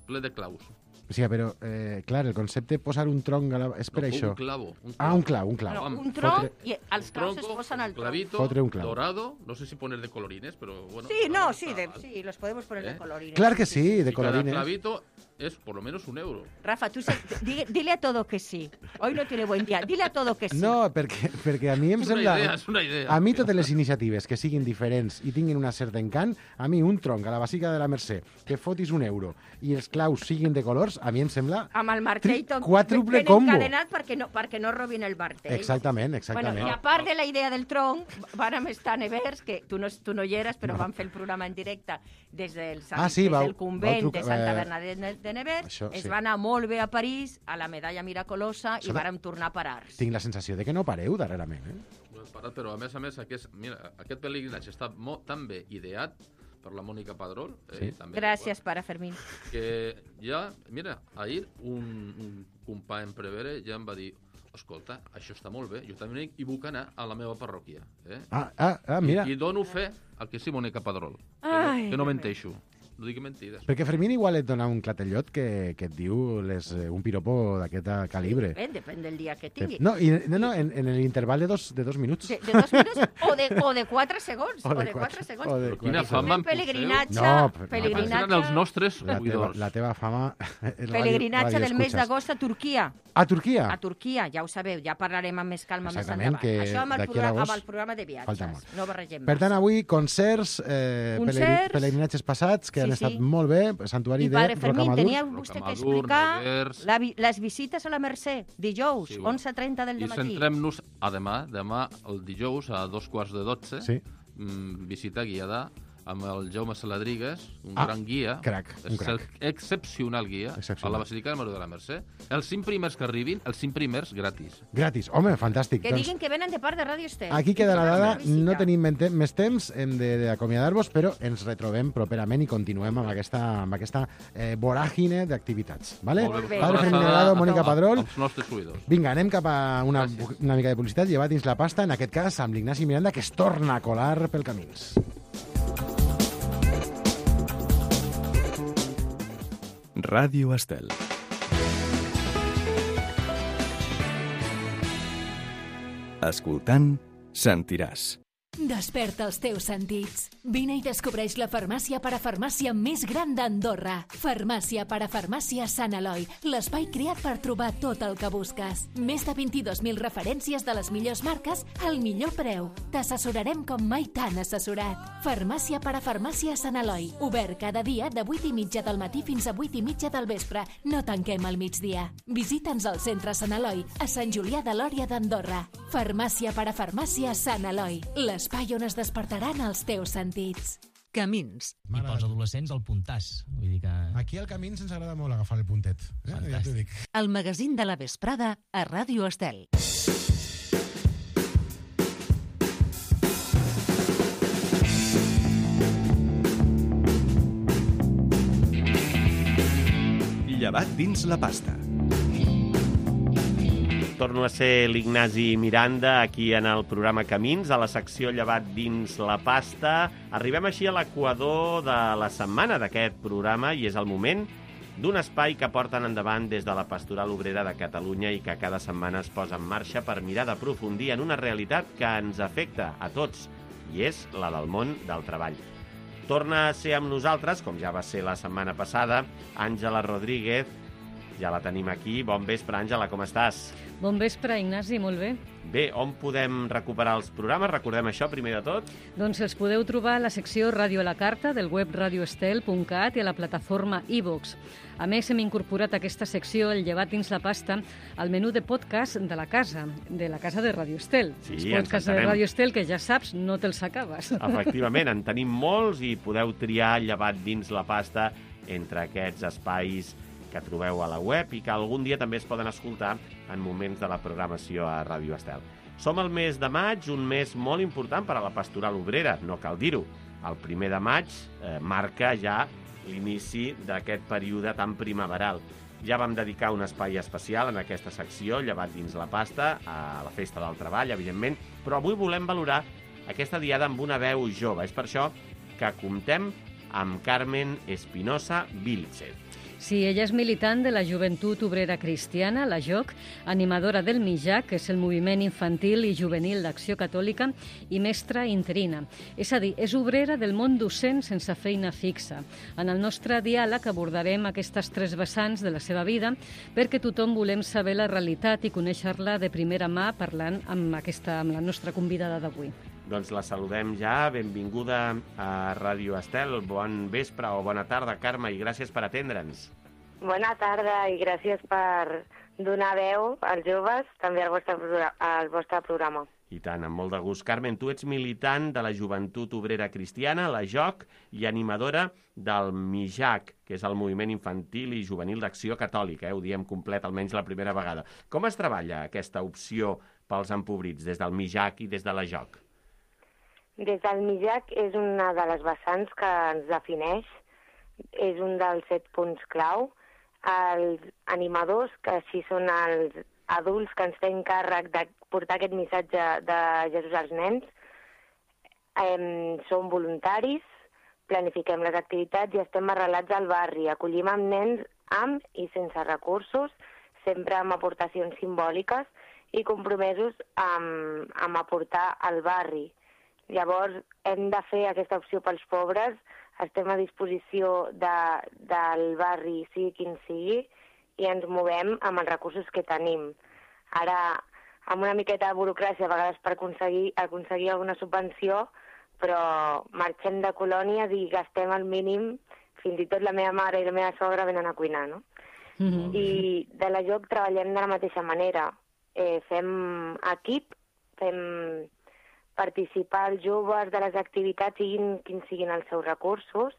ple de claus. O sigui, però, eh, clar, el concepte de posar un tronc a la... És per No, això. Un clavo. Un Ah, un clau, un clau. No, Amb un tronc fotre- i els claus es tronco, posen al tronc. clavito, Fotre un clau. dorado, no sé si poner de colorines, pero bueno. Sí, no, claro, sí, está de, mal. sí, los podemos poner de ¿Eh? colorines. Clar que sí, de Y cada colorines. clavito es por lo menos un euro. Rafa, tú se- di- dile a todo que sí. Hoy no tiene buen día. Dile a todo que sí. No, perquè, perquè a mi em Es una sembla... idea, es una idea. A mi totes les iniciatives que siguin diferents i tinguin una certa encant, a mi un tronc a la Basílica de la Mercè, que fotis un euro i els claus siguin de colors, a mi em sembla... Amb el martell tot Quàdruple ben combo. encadenat perquè no, perquè no robin el martell. Exactament, Bueno, exactament. i a part de la idea del tronc, vàrem estar a Nevers, que tu no, tu no hi eres, però vam fer el programa en directe des del, Sant, Ah, sí, des vau- del convent vau trucar- de Santa eh, Bernadette de- de Nevers. això, es sí. va anar molt bé a París, a la medalla miracolosa, Això i de- vàrem tornar a parar-nos. Tinc la sensació de que no pareu darrerament, eh? Ho hem parat, però a més a més aquest, mira, aquest pelegrinatge està molt, tan bé ideat per la Mònica Padrón. Eh, Sí. també, Gràcies, pare Fermín. Que ja, mira, ahir un, un company en Prevere ja em va dir escolta, això està molt bé, jo també hi puc anar a la meva parròquia. Eh? Ah, ah, ah mira. I, I dono fe al que sí, Mònica Padrón. Que, Ai, no, que no Déu menteixo. No digui mentides. Perquè Fermín igual et dona un clatellot que, que et diu les, eh, un piropo d'aquest calibre. Depèn, depèn del dia que tingui. No, i, no, no en, en l'interval de dos, de dos minuts. De, de dos minuts o de, o de quatre segons. O O de de, quatre- quatre segons. o de Però quina quatre fama Un em poseu. pelegrinatge, No, però- pelegrinatge, Eren els nostres La teva, oïdors. la teva fama... és pelegrinatge ràdio- del mes radioescuchas. d'agost a Turquia. A Turquia? A Turquia, ja ho sabeu, ja parlarem amb més calma més Exactament, endavant. que Això amb el, d'aquí a programa, l'agost amb el programa de viatges. falta molt. No barregem Per tant, massa. avui concerts, eh, Concerts. pelegri- pelegrinatges passats que Sí, han sí. estat molt bé, santuari I de padre Fermín, Rocamadur. tenia vostè que Rocamadur, explicar Nevers. la, vi- les visites a la Mercè, dijous, Sí, bueno. onze trenta del I matí. centrem-nos a demà, demà el dijous a dos quarts de dotze, Sí. mm, visita guiada amb el Jaume Saladrigues, un Ah, gran guia, crac, un excel- crac. excepcional guia, Excepcional. a la Basílica de Maria de la Mercè. Els cinc primers que arribin, els cinc primers gratis. Gratis. Home, fantàstic. Que Doncs diguin que venen de part de Ràdio Estel. aquí I queda la tindran dada. una visita. No tenim men- te- més temps, hem de- d'acomiadar-vos, però ens retrobem properament i continuem amb aquesta, amb aquesta eh, voràgine d'activitats. Vale? Molt bé. Padre Una Fermín abraçada Delgado, a- Mònica a- Padrón. als nostres oïdors. Vinga, anem cap a una, Gràcies. una mica de publicitat, llevar dins la pasta, en aquest cas amb l'Ignasi Miranda, que es torna a colar pel camins. Ràdio Estel. Escoltant, sentiràs. Desperta els teus sentits. Vine i descobreix la farmàcia parafarmàcia més gran d'Andorra. Farmàcia parafarmàcia Sant Eloi, l'espai creat per trobar tot el que busques. Més de vint-i-dos mil referències de les millors marques al millor preu. T'assessorarem com mai t'han assessorat. Farmàcia parafarmàcia Sant Eloi, obert cada dia de vuit i mitja del matí fins a vuit i mitja del vespre. No tanquem al migdia. Visita'ns al centre Sant Eloi, a Sant Julià de Lòria d'Andorra. Farmàcia parafarmàcia Sant Eloi, l'espai on es despertaran els teus sentits. Camins. I pels adolescents el puntàs. Vull dir que... Aquí al Camins ens agrada molt agafar el puntet. Eh? Ja t'ho dic. El magazín de la vesprada a Ràdio Estel. Llevat dins la pasta. Torno a ser l'Ignasi Miranda aquí en el programa Camins, a la secció Llevat dins la pasta. Arribem així a l'equador de la setmana d'aquest programa i és el moment d'un espai que porten endavant des de la Pastoral Obrera de Catalunya i que cada setmana es posa en marxa per mirar d'aprofundir en una realitat que ens afecta a tots, i és la del món del treball. Torna a ser amb nosaltres, com ja va ser la setmana passada, Àngela Rodríguez. Ja la tenim aquí. Bon vespre, Àngela, com estàs? Bon vespre, Ignasi, molt bé. Bé, on podem recuperar els programes? Recordem això, primer de tot. Doncs els podeu trobar a la secció Ràdio a la Carta del web radioestel punt cat i a la plataforma iVox. A més, hem incorporat a aquesta secció, el Llevat dins la pasta, al menú de podcast de la casa, de la casa de Radio Estel. Sí, els ens podcasts de Radio Estel, que ja saps, no te'ls acabes. Efectivament, en tenim molts i podeu triar Llevat dins la pasta entre aquests espais que trobeu a la web i que algun dia també es poden escoltar en moments de la programació a Ràdio Estel. Som al mes de maig, un mes molt important per a la Pastoral Obrera, no cal dir-ho. El primer de maig eh, marca ja l'inici d'aquest període tan primaveral. Ja vam dedicar un espai especial en aquesta secció, Llevat dins la pasta, a la Festa del Treball, evidentment, però avui volem valorar aquesta diada amb una veu jove. És per això que comptem amb Carmen Espinosa Vilchez. Sí, ella és militant de la Joventut Obrera Cristiana, la J O C, animadora del MIJAC, que és el Moviment Infantil i Juvenil d'Acció Catòlica, i mestra interina. És a dir, és obrera del món docent sense feina fixa. En el nostre diàleg abordarem aquestes tres vessants de la seva vida perquè tothom volem saber la realitat i conèixer-la de primera mà parlant amb, aquesta, amb la nostra convidada d'avui. Doncs la saludem ja. Benvinguda a Ràdio Estel. Bon vespre o bona tarda, Carme, i gràcies per atendre'ns. Bona tarda i gràcies per donar veu als joves, també al vostre, al vostre programa. I tant, amb molt de gust. Carmen, tu ets militant de la Joventut Obrera Cristiana, la J O C, i animadora del MIJAC, que és el Moviment Infantil i Juvenil d'Acció Catòlica. Eh? Ho diem complet, almenys la primera vegada. Com es treballa aquesta opció pels empobrits des del MIJAC i des de la J O C? Des del MIJAC és una de les vessants que ens defineix, és un dels set punts clau. Els animadors, que així són els adults que ens fem càrrec de portar aquest missatge de Jesús als nens, eh, som voluntaris, planifiquem les activitats i estem arrelats al barri. Acollim amb nens amb i sense recursos, sempre amb aportacions simbòliques i compromesos amb, amb aportar al barri. Llavors, hem de fer aquesta opció pels pobres, estem a disposició de, del barri, sigui quin sigui, i ens movem amb els recursos que tenim. Ara, amb una miqueta de burocràcia, a vegades per aconseguir, aconseguir alguna subvenció, però marxem de colònies i gastem el mínim, fins i tot la meva mare i la meva sogra venen a cuinar, no? Mm-hmm. I de la J O C treballem de la mateixa manera. Eh, fem equip, fem participar els joves de les activitats, siguin quins siguin els seus recursos.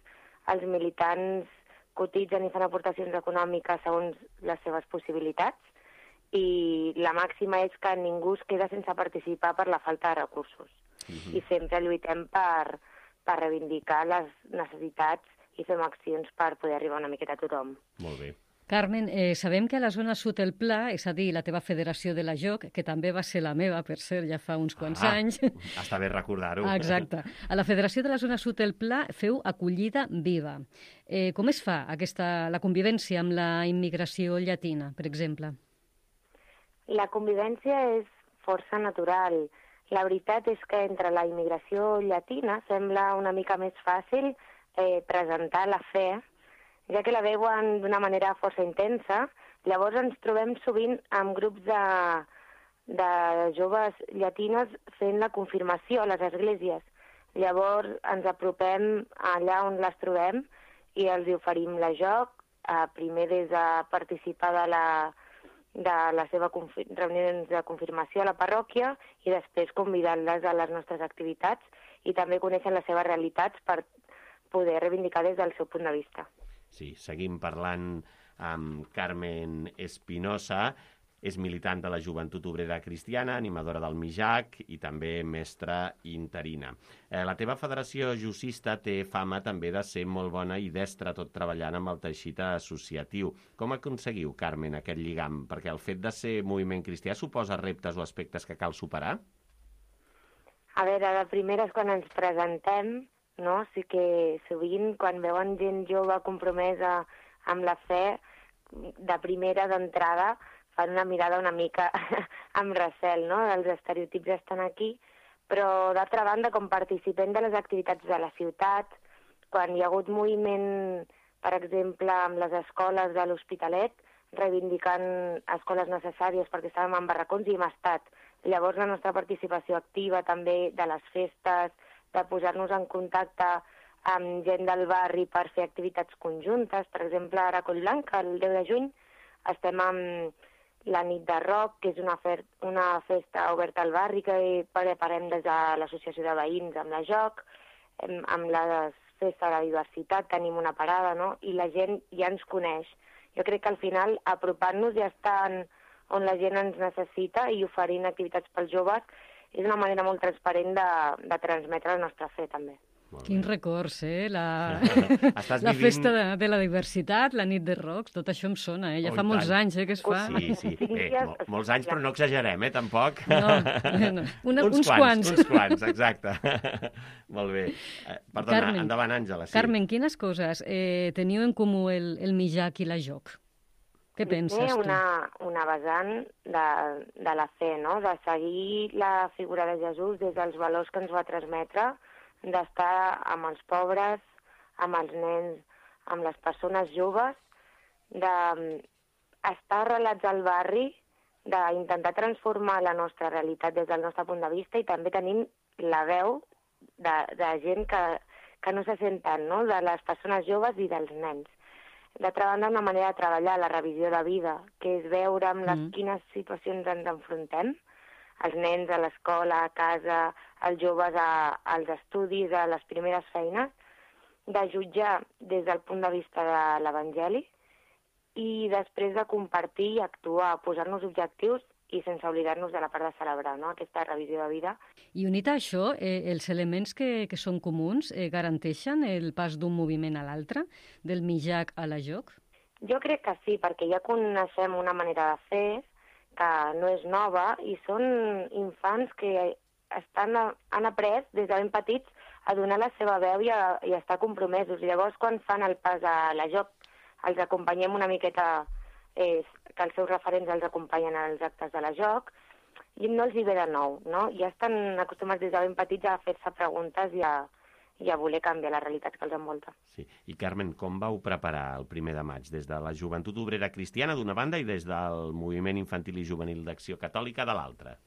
Els militants cotitzen i fan aportacions econòmiques segons les seves possibilitats i la màxima és que ningú es queda sense participar per la falta de recursos. Uh-huh. I sempre lluitem per, per reivindicar les necessitats i fem accions per poder arribar una miqueta a tothom. Molt bé. Carmen, eh, sabem que a la zona sud del Pla, és a dir, la teva federació de la J O C, que també va ser la meva, per cert, ja fa uns quants ah, anys. Està bé recordar-ho. Exacte. A la federació de la zona sud del Pla feu acollida viva. Eh, com es fa aquesta, la convivència amb la immigració llatina, per exemple? La convivència és força natural. La veritat és que entre la immigració llatina sembla una mica més fàcil eh, presentar la fe, ja que la veuen d'una manera força intensa. Llavors ens trobem sovint amb grups de, de joves llatines fent la confirmació a les esglésies. Llavors ens apropem allà on les trobem i els hi oferim la joc, eh, primer des de participar de la, de la seva reunions de confirmació a la parròquia i després convidant-les a les nostres activitats i també coneixen les seves realitats per poder reivindicar des del seu punt de vista. Sí, seguim parlant amb Carmen Espinosa, és militant de la Joventut Obrera Cristiana, animadora del Mijac i també mestra interina. Eh, la teva federació jussista té fama també de ser molt bona i destra tot treballant amb el teixit associatiu. Com aconseguiu, Carmen, aquest lligam? Perquè el fet de ser moviment cristià suposa reptes o aspectes que cal superar? A veure, de primeres quan ens presentem, no? Sí que sovint quan veuen gent jove compromesa amb la fe, de primera d'entrada fan una mirada una mica amb recel, no? Els estereotips estan aquí, però d'altra banda, com participem de les activitats de la ciutat, quan hi ha hagut moviment, per exemple, amb les escoles de l'Hospitalet, reivindicant escoles necessàries perquè estàvem en barracons i hem estat. Llavors la nostra participació activa també de les festes, de posar-nos en contacte amb gent del barri per fer activitats conjuntes. Per exemple, ara a Collblanc, el deu de juny, estem amb la nit de rock, que és una, fer una festa oberta al barri que preparem des de l'associació de veïns amb la joc, amb la festa de la diversitat tenim una parada, no? I la gent ja ens coneix. Jo crec que al final apropant-nos ja estan on la gent ens necessita i oferint activitats pels joves és una manera molt transparent de, de transmetre la nostra fe, també. Quins records, eh? La, Estàs la vivint... festa de, de la diversitat, la nit de rocs, tot això em sona, eh? Ja Oh, fa i molts tant. anys, eh, que es fa. Sí, sí. Bé, mol, molts anys, però no exagerem, eh, tampoc. No, no. Una, uns, uns quants. Uns quants, exacte. Molt bé. Eh, perdona, Carmen, endavant, Àngela. Sí. Carmen, quines coses eh, teniu en comú el, el Mijac i la joc? Què penses tu? Una, una vessant de, de la fe, no? De seguir la figura de Jesús des dels valors que ens va transmetre, d'estar amb els pobres, amb els nens, amb les persones joves, d'estar arrelats al barri, d'intentar transformar la nostra realitat des del nostre punt de vista i també tenim la veu de, de gent que, que no se sent tant, no? De les persones joves i dels nens. D'altra banda, una manera de treballar la revisió de vida, que és veure amb les, mm. quines situacions ens enfrontem, els nens a l'escola, a casa, els joves a, als estudis, a les primeres feines, de jutjar des del punt de vista de l'Evangeli i després de compartir i actuar, posar-nos objectius i sense oblidar-nos de la part de celebrar, no? Aquesta revisió de vida. I unit a això, eh, els elements que, que són comuns eh, garanteixen el pas d'un moviment a l'altre, del Mijac a la joc? Jo crec que sí, perquè ja coneixem una manera de fer que no és nova i són infants que estan, han après des de ben petits a donar la seva veu i a, i a estar compromesos. Llavors, quan fan el pas a la joc, els acompanyem una miqueta, eh, que els seus referents els acompanyen als actes de la joc, i no els hi ve de nou, no? Ja estan acostumats des de ben petits a fer-se preguntes i a, i a voler canviar la realitat que els envolta. Sí. I, Carmen, com vau preparar el primer de maig? Des de la Joventut Obrera Cristiana, d'una banda, i des del Moviment Infantil i Juvenil d'Acció Catòlica, de l'altra?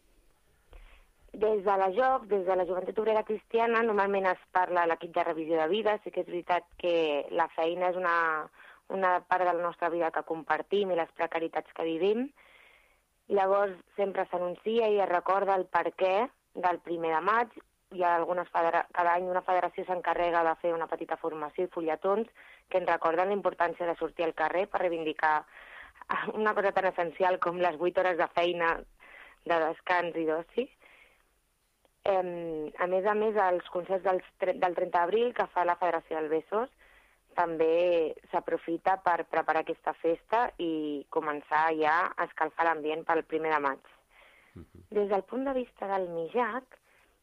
Des de la joc, des de la Joventut Obrera Cristiana, normalment es parla a l'equip de revisió de vida. Sí que és veritat que la feina és una, una part de la nostra vida que compartim i les precaritats que vivim. Llavors, sempre s'anuncia i es recorda el perquè del primer de maig. Hi ha algunes federa... Cada any una federació s'encarrega de fer una petita formació i fulletons que ens recorden la importància de sortir al carrer per reivindicar una cosa tan essencial com les vuit hores de feina, de descans i d'oci. Eh, a més a més, els concerts del, del trenta d'abril que fa la Federació del Besòs també s'aprofita per preparar aquesta festa i començar ja a escalfar l'ambient pel primer de maig. Uh-huh. Des del punt de vista del Mijac,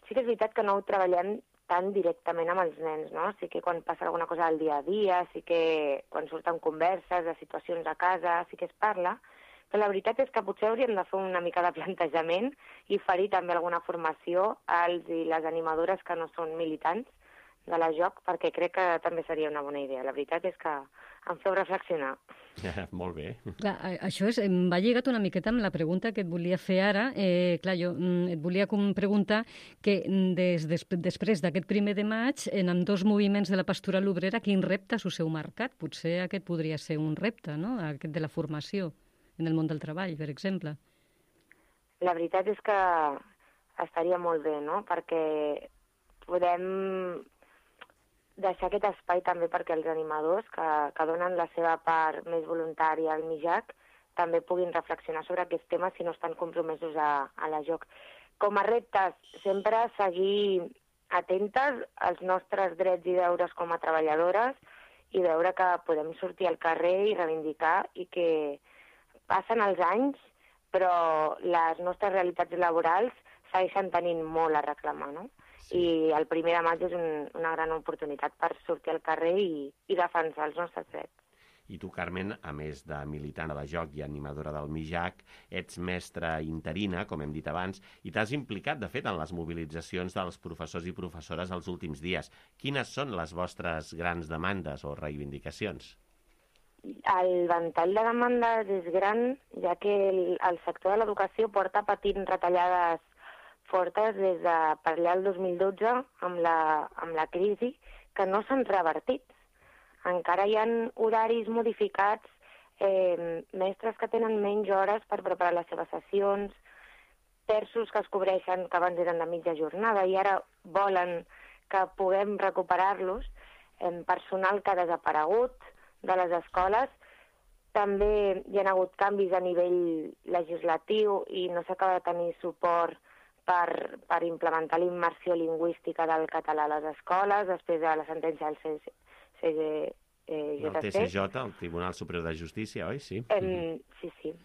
sí que és veritat que no ho treballem tan directament amb els nens, no? Sí que quan passa alguna cosa al dia a dia, sí que quan surten converses de situacions a casa, sí que es parla, Però la veritat és que potser hauríem de fer una mica de plantejament i oferir també alguna formació als i les animadores que no són militants de la joc, perquè crec que també seria una bona idea. La veritat és que em feu reflexionar. Molt bé. Clar, això és, em va lligat una miqueta amb la pregunta que et volia fer ara. Eh, clar, jo mm, et volia com preguntar que des, des, després d'aquest primer de maig, en ambdós moviments de la pastoral obrera, quin reptes us heu marcat? Potser aquest podria ser un repte, no?, aquest de la formació en el món del treball, per exemple. La veritat és que estaria molt bé, no?, perquè podem deixar aquest espai també perquè els animadors que, que donen la seva part més voluntària al MIJAC també puguin reflexionar sobre aquests temes si no estan compromesos a, a la joc. Com a reptes, sempre seguir atentes als nostres drets i deures com a treballadores i veure que podem sortir al carrer i reivindicar i que passen els anys però les nostres realitats laborals segueixen tenint molt a reclamar, no? I el primer de maig és un, una gran oportunitat per sortir al carrer i, i defensar els nostres drets. I tu, Carmen, a més de militant a la joc i animadora del MIJAC, ets mestra interina, com hem dit abans, i t'has implicat, de fet, en les mobilitzacions dels professors i professores els últims dies. Quines són les vostres grans demandes o reivindicacions? El ventall de demandes és gran, ja que el, el sector de l'educació porta patint retallades fortes des de per allà el dos mil dotze amb la, amb la crisi que no s'han revertit. Encara hi ha horaris modificats, eh, mestres que tenen menys hores per preparar les seves sessions, terços que es cobreixen que abans eren de mitja jornada i ara volen que puguem recuperar-los, eh, personal que ha desaparegut de les escoles. També hi ha hagut canvis a nivell legislatiu i no s'acaba de tenir suport Per, per implementar la immersió lingüística del català a les escoles, després de la sentència del C G J C. El T C J, el Tribunal Superior de Justícia, oi? Sí. Eh, sí, sí.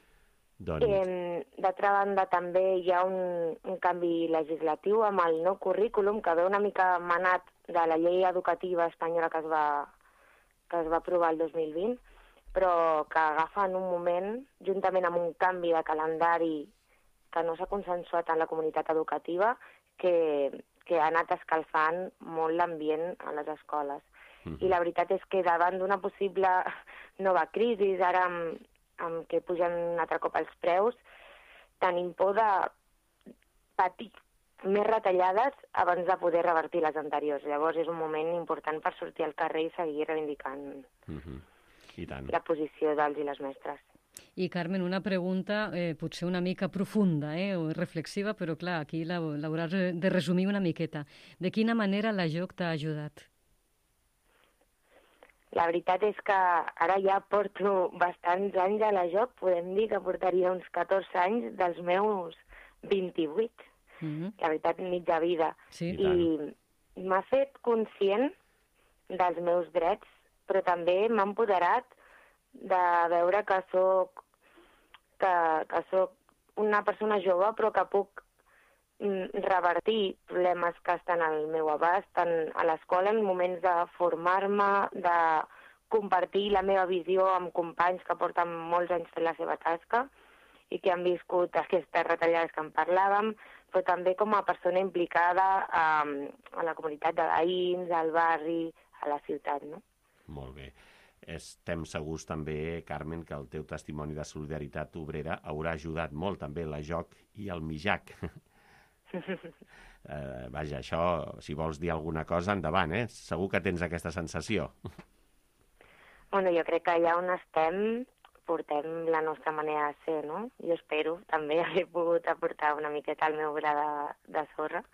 Doncs... Eh, D'altra banda, també hi ha un, un canvi legislatiu amb el nou currículum que ve una mica manat de la llei educativa espanyola que es va, que es va aprovar el dos mil vint, però que agafa en un moment, juntament amb un canvi de calendari que no s'ha consensuat en la comunitat educativa, que, que ha anat escalfant molt l'ambient a les escoles. Mm. I la veritat és que davant d'una possible nova crisi, ara amb, amb que pugen un altre cop els preus, tenim por de patir més retallades abans de poder revertir les anteriors. Llavors és un moment important per sortir al carrer i seguir reivindicant mm-hmm. I tant. La posició dels i les mestres. I, Carmen, una pregunta eh, potser una mica profunda eh, o reflexiva, però clar, aquí l'hauràs de resumir una miqueta. De quina manera la joc t'ha ajudat? La veritat és que ara ja porto bastants anys a la joc, podem dir que portaria uns catorze anys dels meus vint-i-vuit. Mm-hmm. La veritat, mitja vida. Sí, I m'ha fet conscient dels meus drets, però també m'ha empoderat de veure que soc que, que soc una persona jove però que puc mm, revertir problemes que estan al meu abast, tant a l'escola en moments de formar-me, de compartir la meva visió amb companys que porten molts anys fent la seva tasca i que han viscut aquestes retallades que en parlàvem, però també com a persona implicada a, a la comunitat de veïns, al barri, a la ciutat, no? Molt bé. Estem segurs també, Carmen, que el teu testimoni de solidaritat obrera haurà ajudat molt també la joc i el MIJAC. eh, vaja, això, si vols dir alguna cosa, endavant, eh? Segur que tens aquesta sensació. Bueno, jo crec que allà on estem portem la nostra manera de ser, no? Jo espero també haver pogut aportar una miqueta el meu gra de, de sorra,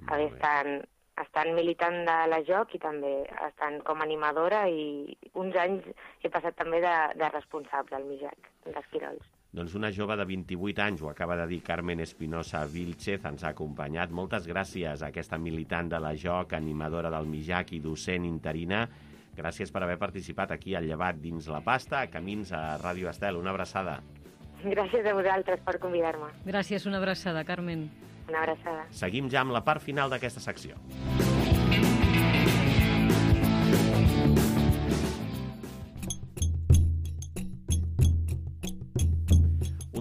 haver estat estant militant de la joc i també estant com animadora i uns anys he passat també de, de responsable al MIJAC, d'Esquirols. Doncs una jove de vint-i-vuit anys, ho acaba de dir Carmen Espinosa Vilchez, ens ha acompanyat. Moltes gràcies a aquesta militant de la joc, animadora del MIJAC i docent interina. Gràcies per haver participat aquí al Llevat dins la pasta, a Camins a Ràdio Estel. Una abraçada. Gràcies a vosaltres per convidar-me. Gràcies, una abraçada, Carmen. Una abraçada. Seguim ja amb la part final d'aquesta secció.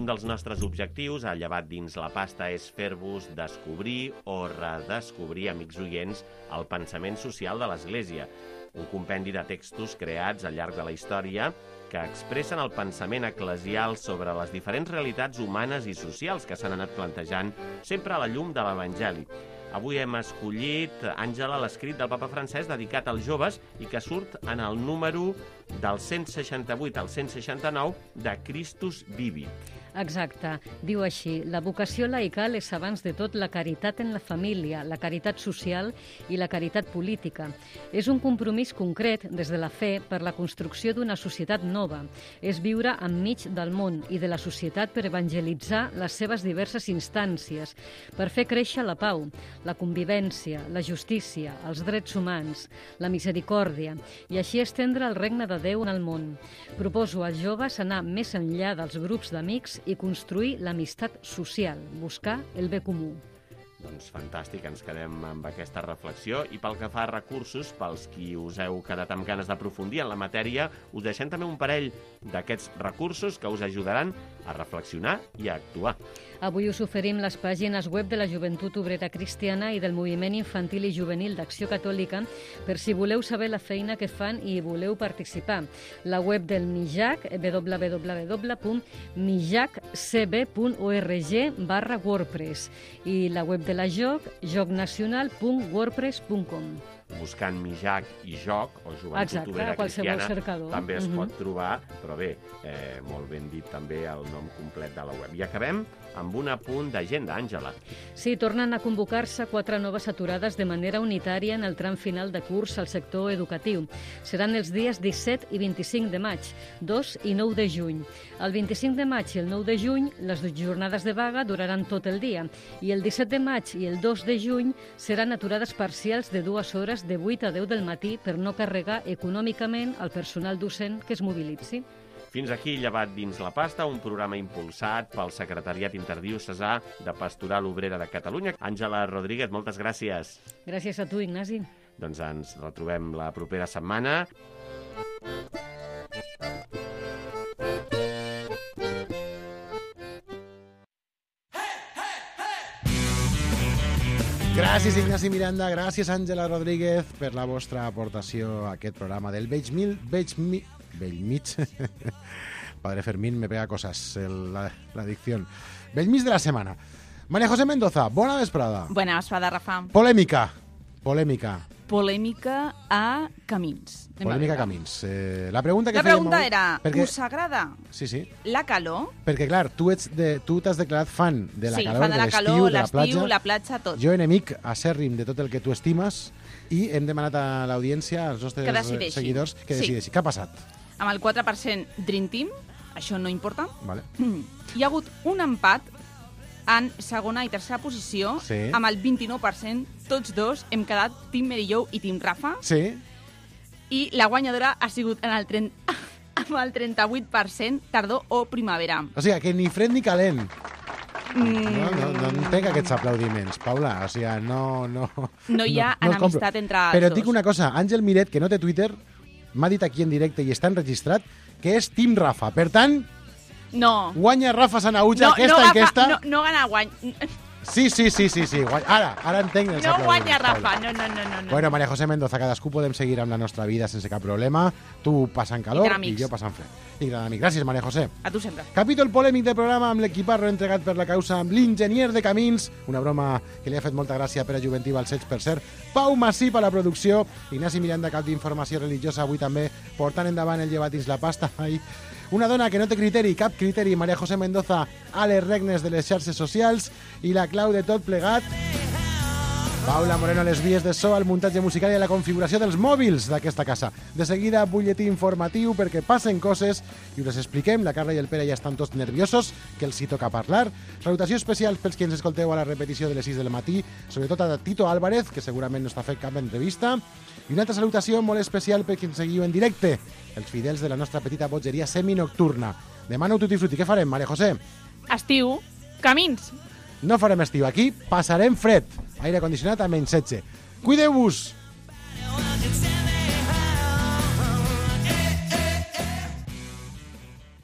un dels nostres objectius, a Llevat dins la pasta, és fer-vos descobrir o redescobrir, amics oients, el pensament social de l'Església. Un compendi de textos creats al llarg de la història que expressen el pensament eclesial sobre les diferents realitats humanes i socials que s'han anat plantejant sempre a la llum de l'Evangeli. Avui hem escollit, Àngela, l'escrit del papa francès dedicat als joves i que surt en el número del cent seixanta-vuit al cent seixanta-nou de Christus Vivit. Exacte. Diu així: la vocació laical és abans de tot la caritat en la família, la caritat social i la caritat política. És un compromís concret des de la fe per la construcció d'una societat nova. És viure enmig del món i de la societat per evangelitzar les seves diverses instàncies, per fer créixer la pau, la convivència, la justícia, els drets humans, la misericòrdia i així estendre el regne de Déu en el món. Proposo als joves anar més enllà dels grups d'amics i construir l'amistat social, buscar el bé comú. Doncs fantàstic, ens quedem amb aquesta reflexió. I pel que fa a recursos, pels qui us heu quedat amb ganes d'aprofundir en la matèria, us deixem també un parell d'aquests recursos que us ajudaran a reflexionar i a actuar. Avui us oferim les pàgines web de la Joventut Obrera Cristiana i del Moviment Infantil i Juvenil d'Acció Catòlica per si voleu saber la feina que fan i voleu participar. La web del MIJAC, w w w punt mijac c b punt org barra wordpress, i la web de la JOC, jocnacional punt wordpress punt com. Buscant Mijac i Joc, o Joventut Exacte, Obrera qualsevol Cristiana, cercador. també es Mhm. pot trobar, però bé, eh, molt ben dit també el nom complet de la web. I acabem amb un apunt d'agenda, Àngela. Sí, tornen a convocar-se quatre noves aturades de manera unitària en el tram final de curs al sector educatiu. Seran els dies disset i vint-i-cinc de maig, dos i nou de juny. El vint-i-cinc de maig i el nou de juny, les jornades de vaga duraran tot el dia, i el disset de maig i el dos de juny seran aturades parcials de dues hores de vuit a deu del matí per no carregar econòmicament el personal docent que es mobilitzi. Fins aquí Llevat dins la pasta, un programa impulsat pel Secretariat Interdiocesà de Pastoral Obrera de Catalunya. Àngela Rodríguez, moltes gràcies. Gràcies a tu, Ignasi. Doncs ens retrobem la propera setmana. Gràcies, Ignasi Miranda, gràcies, Àngela Rodríguez, per la vostra aportació a aquest programa del Veig Mil... Veig Mi... Bellmig... Padre Fermín me pega cosas, el, la, la dicción. Bellmig de la setmana. María José Mendoza, bona vesprada. Bona vesprada, Rafa. Polèmica, polèmica. Polèmica a Camins. Anem Polèmica a Camins. Eh, la pregunta que La fèiem pregunta avui- era, perquè... us agrada Sí, sí. la calor? Perquè, clar, tu ets de, tu t'has declarat fan de la Sí, calor, fan de la l'estiu, calor, de la l'estiu, platja. la platja, tot. Jo, enemic acèrrim de tot el que tu estimes, i hem demanat a l'audiència, als nostres Que decideixi. seguidors, que Sí. decideixi. Què ha passat? Amb el quatre per cent Dream Team, això no importa. Vale. Hi ha hagut un empat en segona i tercera posició, Sí. amb el vint-i-nou per cent. Tots dos hem quedat Team Merillou i Team Rafa. Sí. I la guanyadora ha sigut en el trenta, amb el trenta-vuit per cent tardor o primavera. O sigui, que ni fred ni calent. Mm. No, no, no entenc aquests aplaudiments, Paula. O sigui, no... No, No hi ha no els compro. enemistat entre els Però et dos. dic una cosa, Àngel Miret, que no té Twitter, m'ha dit aquí en directe i està enregistrat que és Team Rafa. Per tant, No. guanya Rafa Sanauja, No, aquesta no, enquesta. no, no gana guany. Sí, sí, sí, sí, sí. guanya. Ara, ara entenc els No aplaudiments, guanya Paula. Rafa, no, no, no, no. no. Bueno, María José Mendoza, cadascú podem seguir amb la nostra vida sense cap problema. Tu passant calor I gran i amics. jo passant fred. I gran amic. Gràcies, María José. A tu sempre. Capítol polèmic del programa amb l'equiparro entregat per la causa amb l'enginyer de camins, una broma que li ha fet molta gràcia per a Juventiva al Seig, per cert. Pau Massip a la producció, Ignasi Miranda, cap d'informació religiosa, avui també portant endavant el llevat dins la pasta. Ai. Una dona que no té criteri, cap criteri, María José Mendoza, a les regnes de les xarxes socials, i la clau de tot plegat, Paula Moreno a les vies de so, al muntatge musical i a la configuració dels mòbils d'aquesta casa. De seguida, butlletí informatiu perquè passen coses i us les expliquem. La Carla i el Pere ja estan tots nerviosos, que els hi toca parlar. Salutació especial pels que ens escolteu a la repetició de les sis del matí, sobretot a Tito Álvarez, que segurament no està fent cap entrevista. I una altra salutació molt especial per qui ens seguiu en directe, els fidels de la nostra petita botgeria seminocturna. Demà no tutti frutti. Què farem, Maria José? Estiu, camins. No farem estiu aquí, passarem fred. Aire condicionat a menys setze. Cuideu-vos!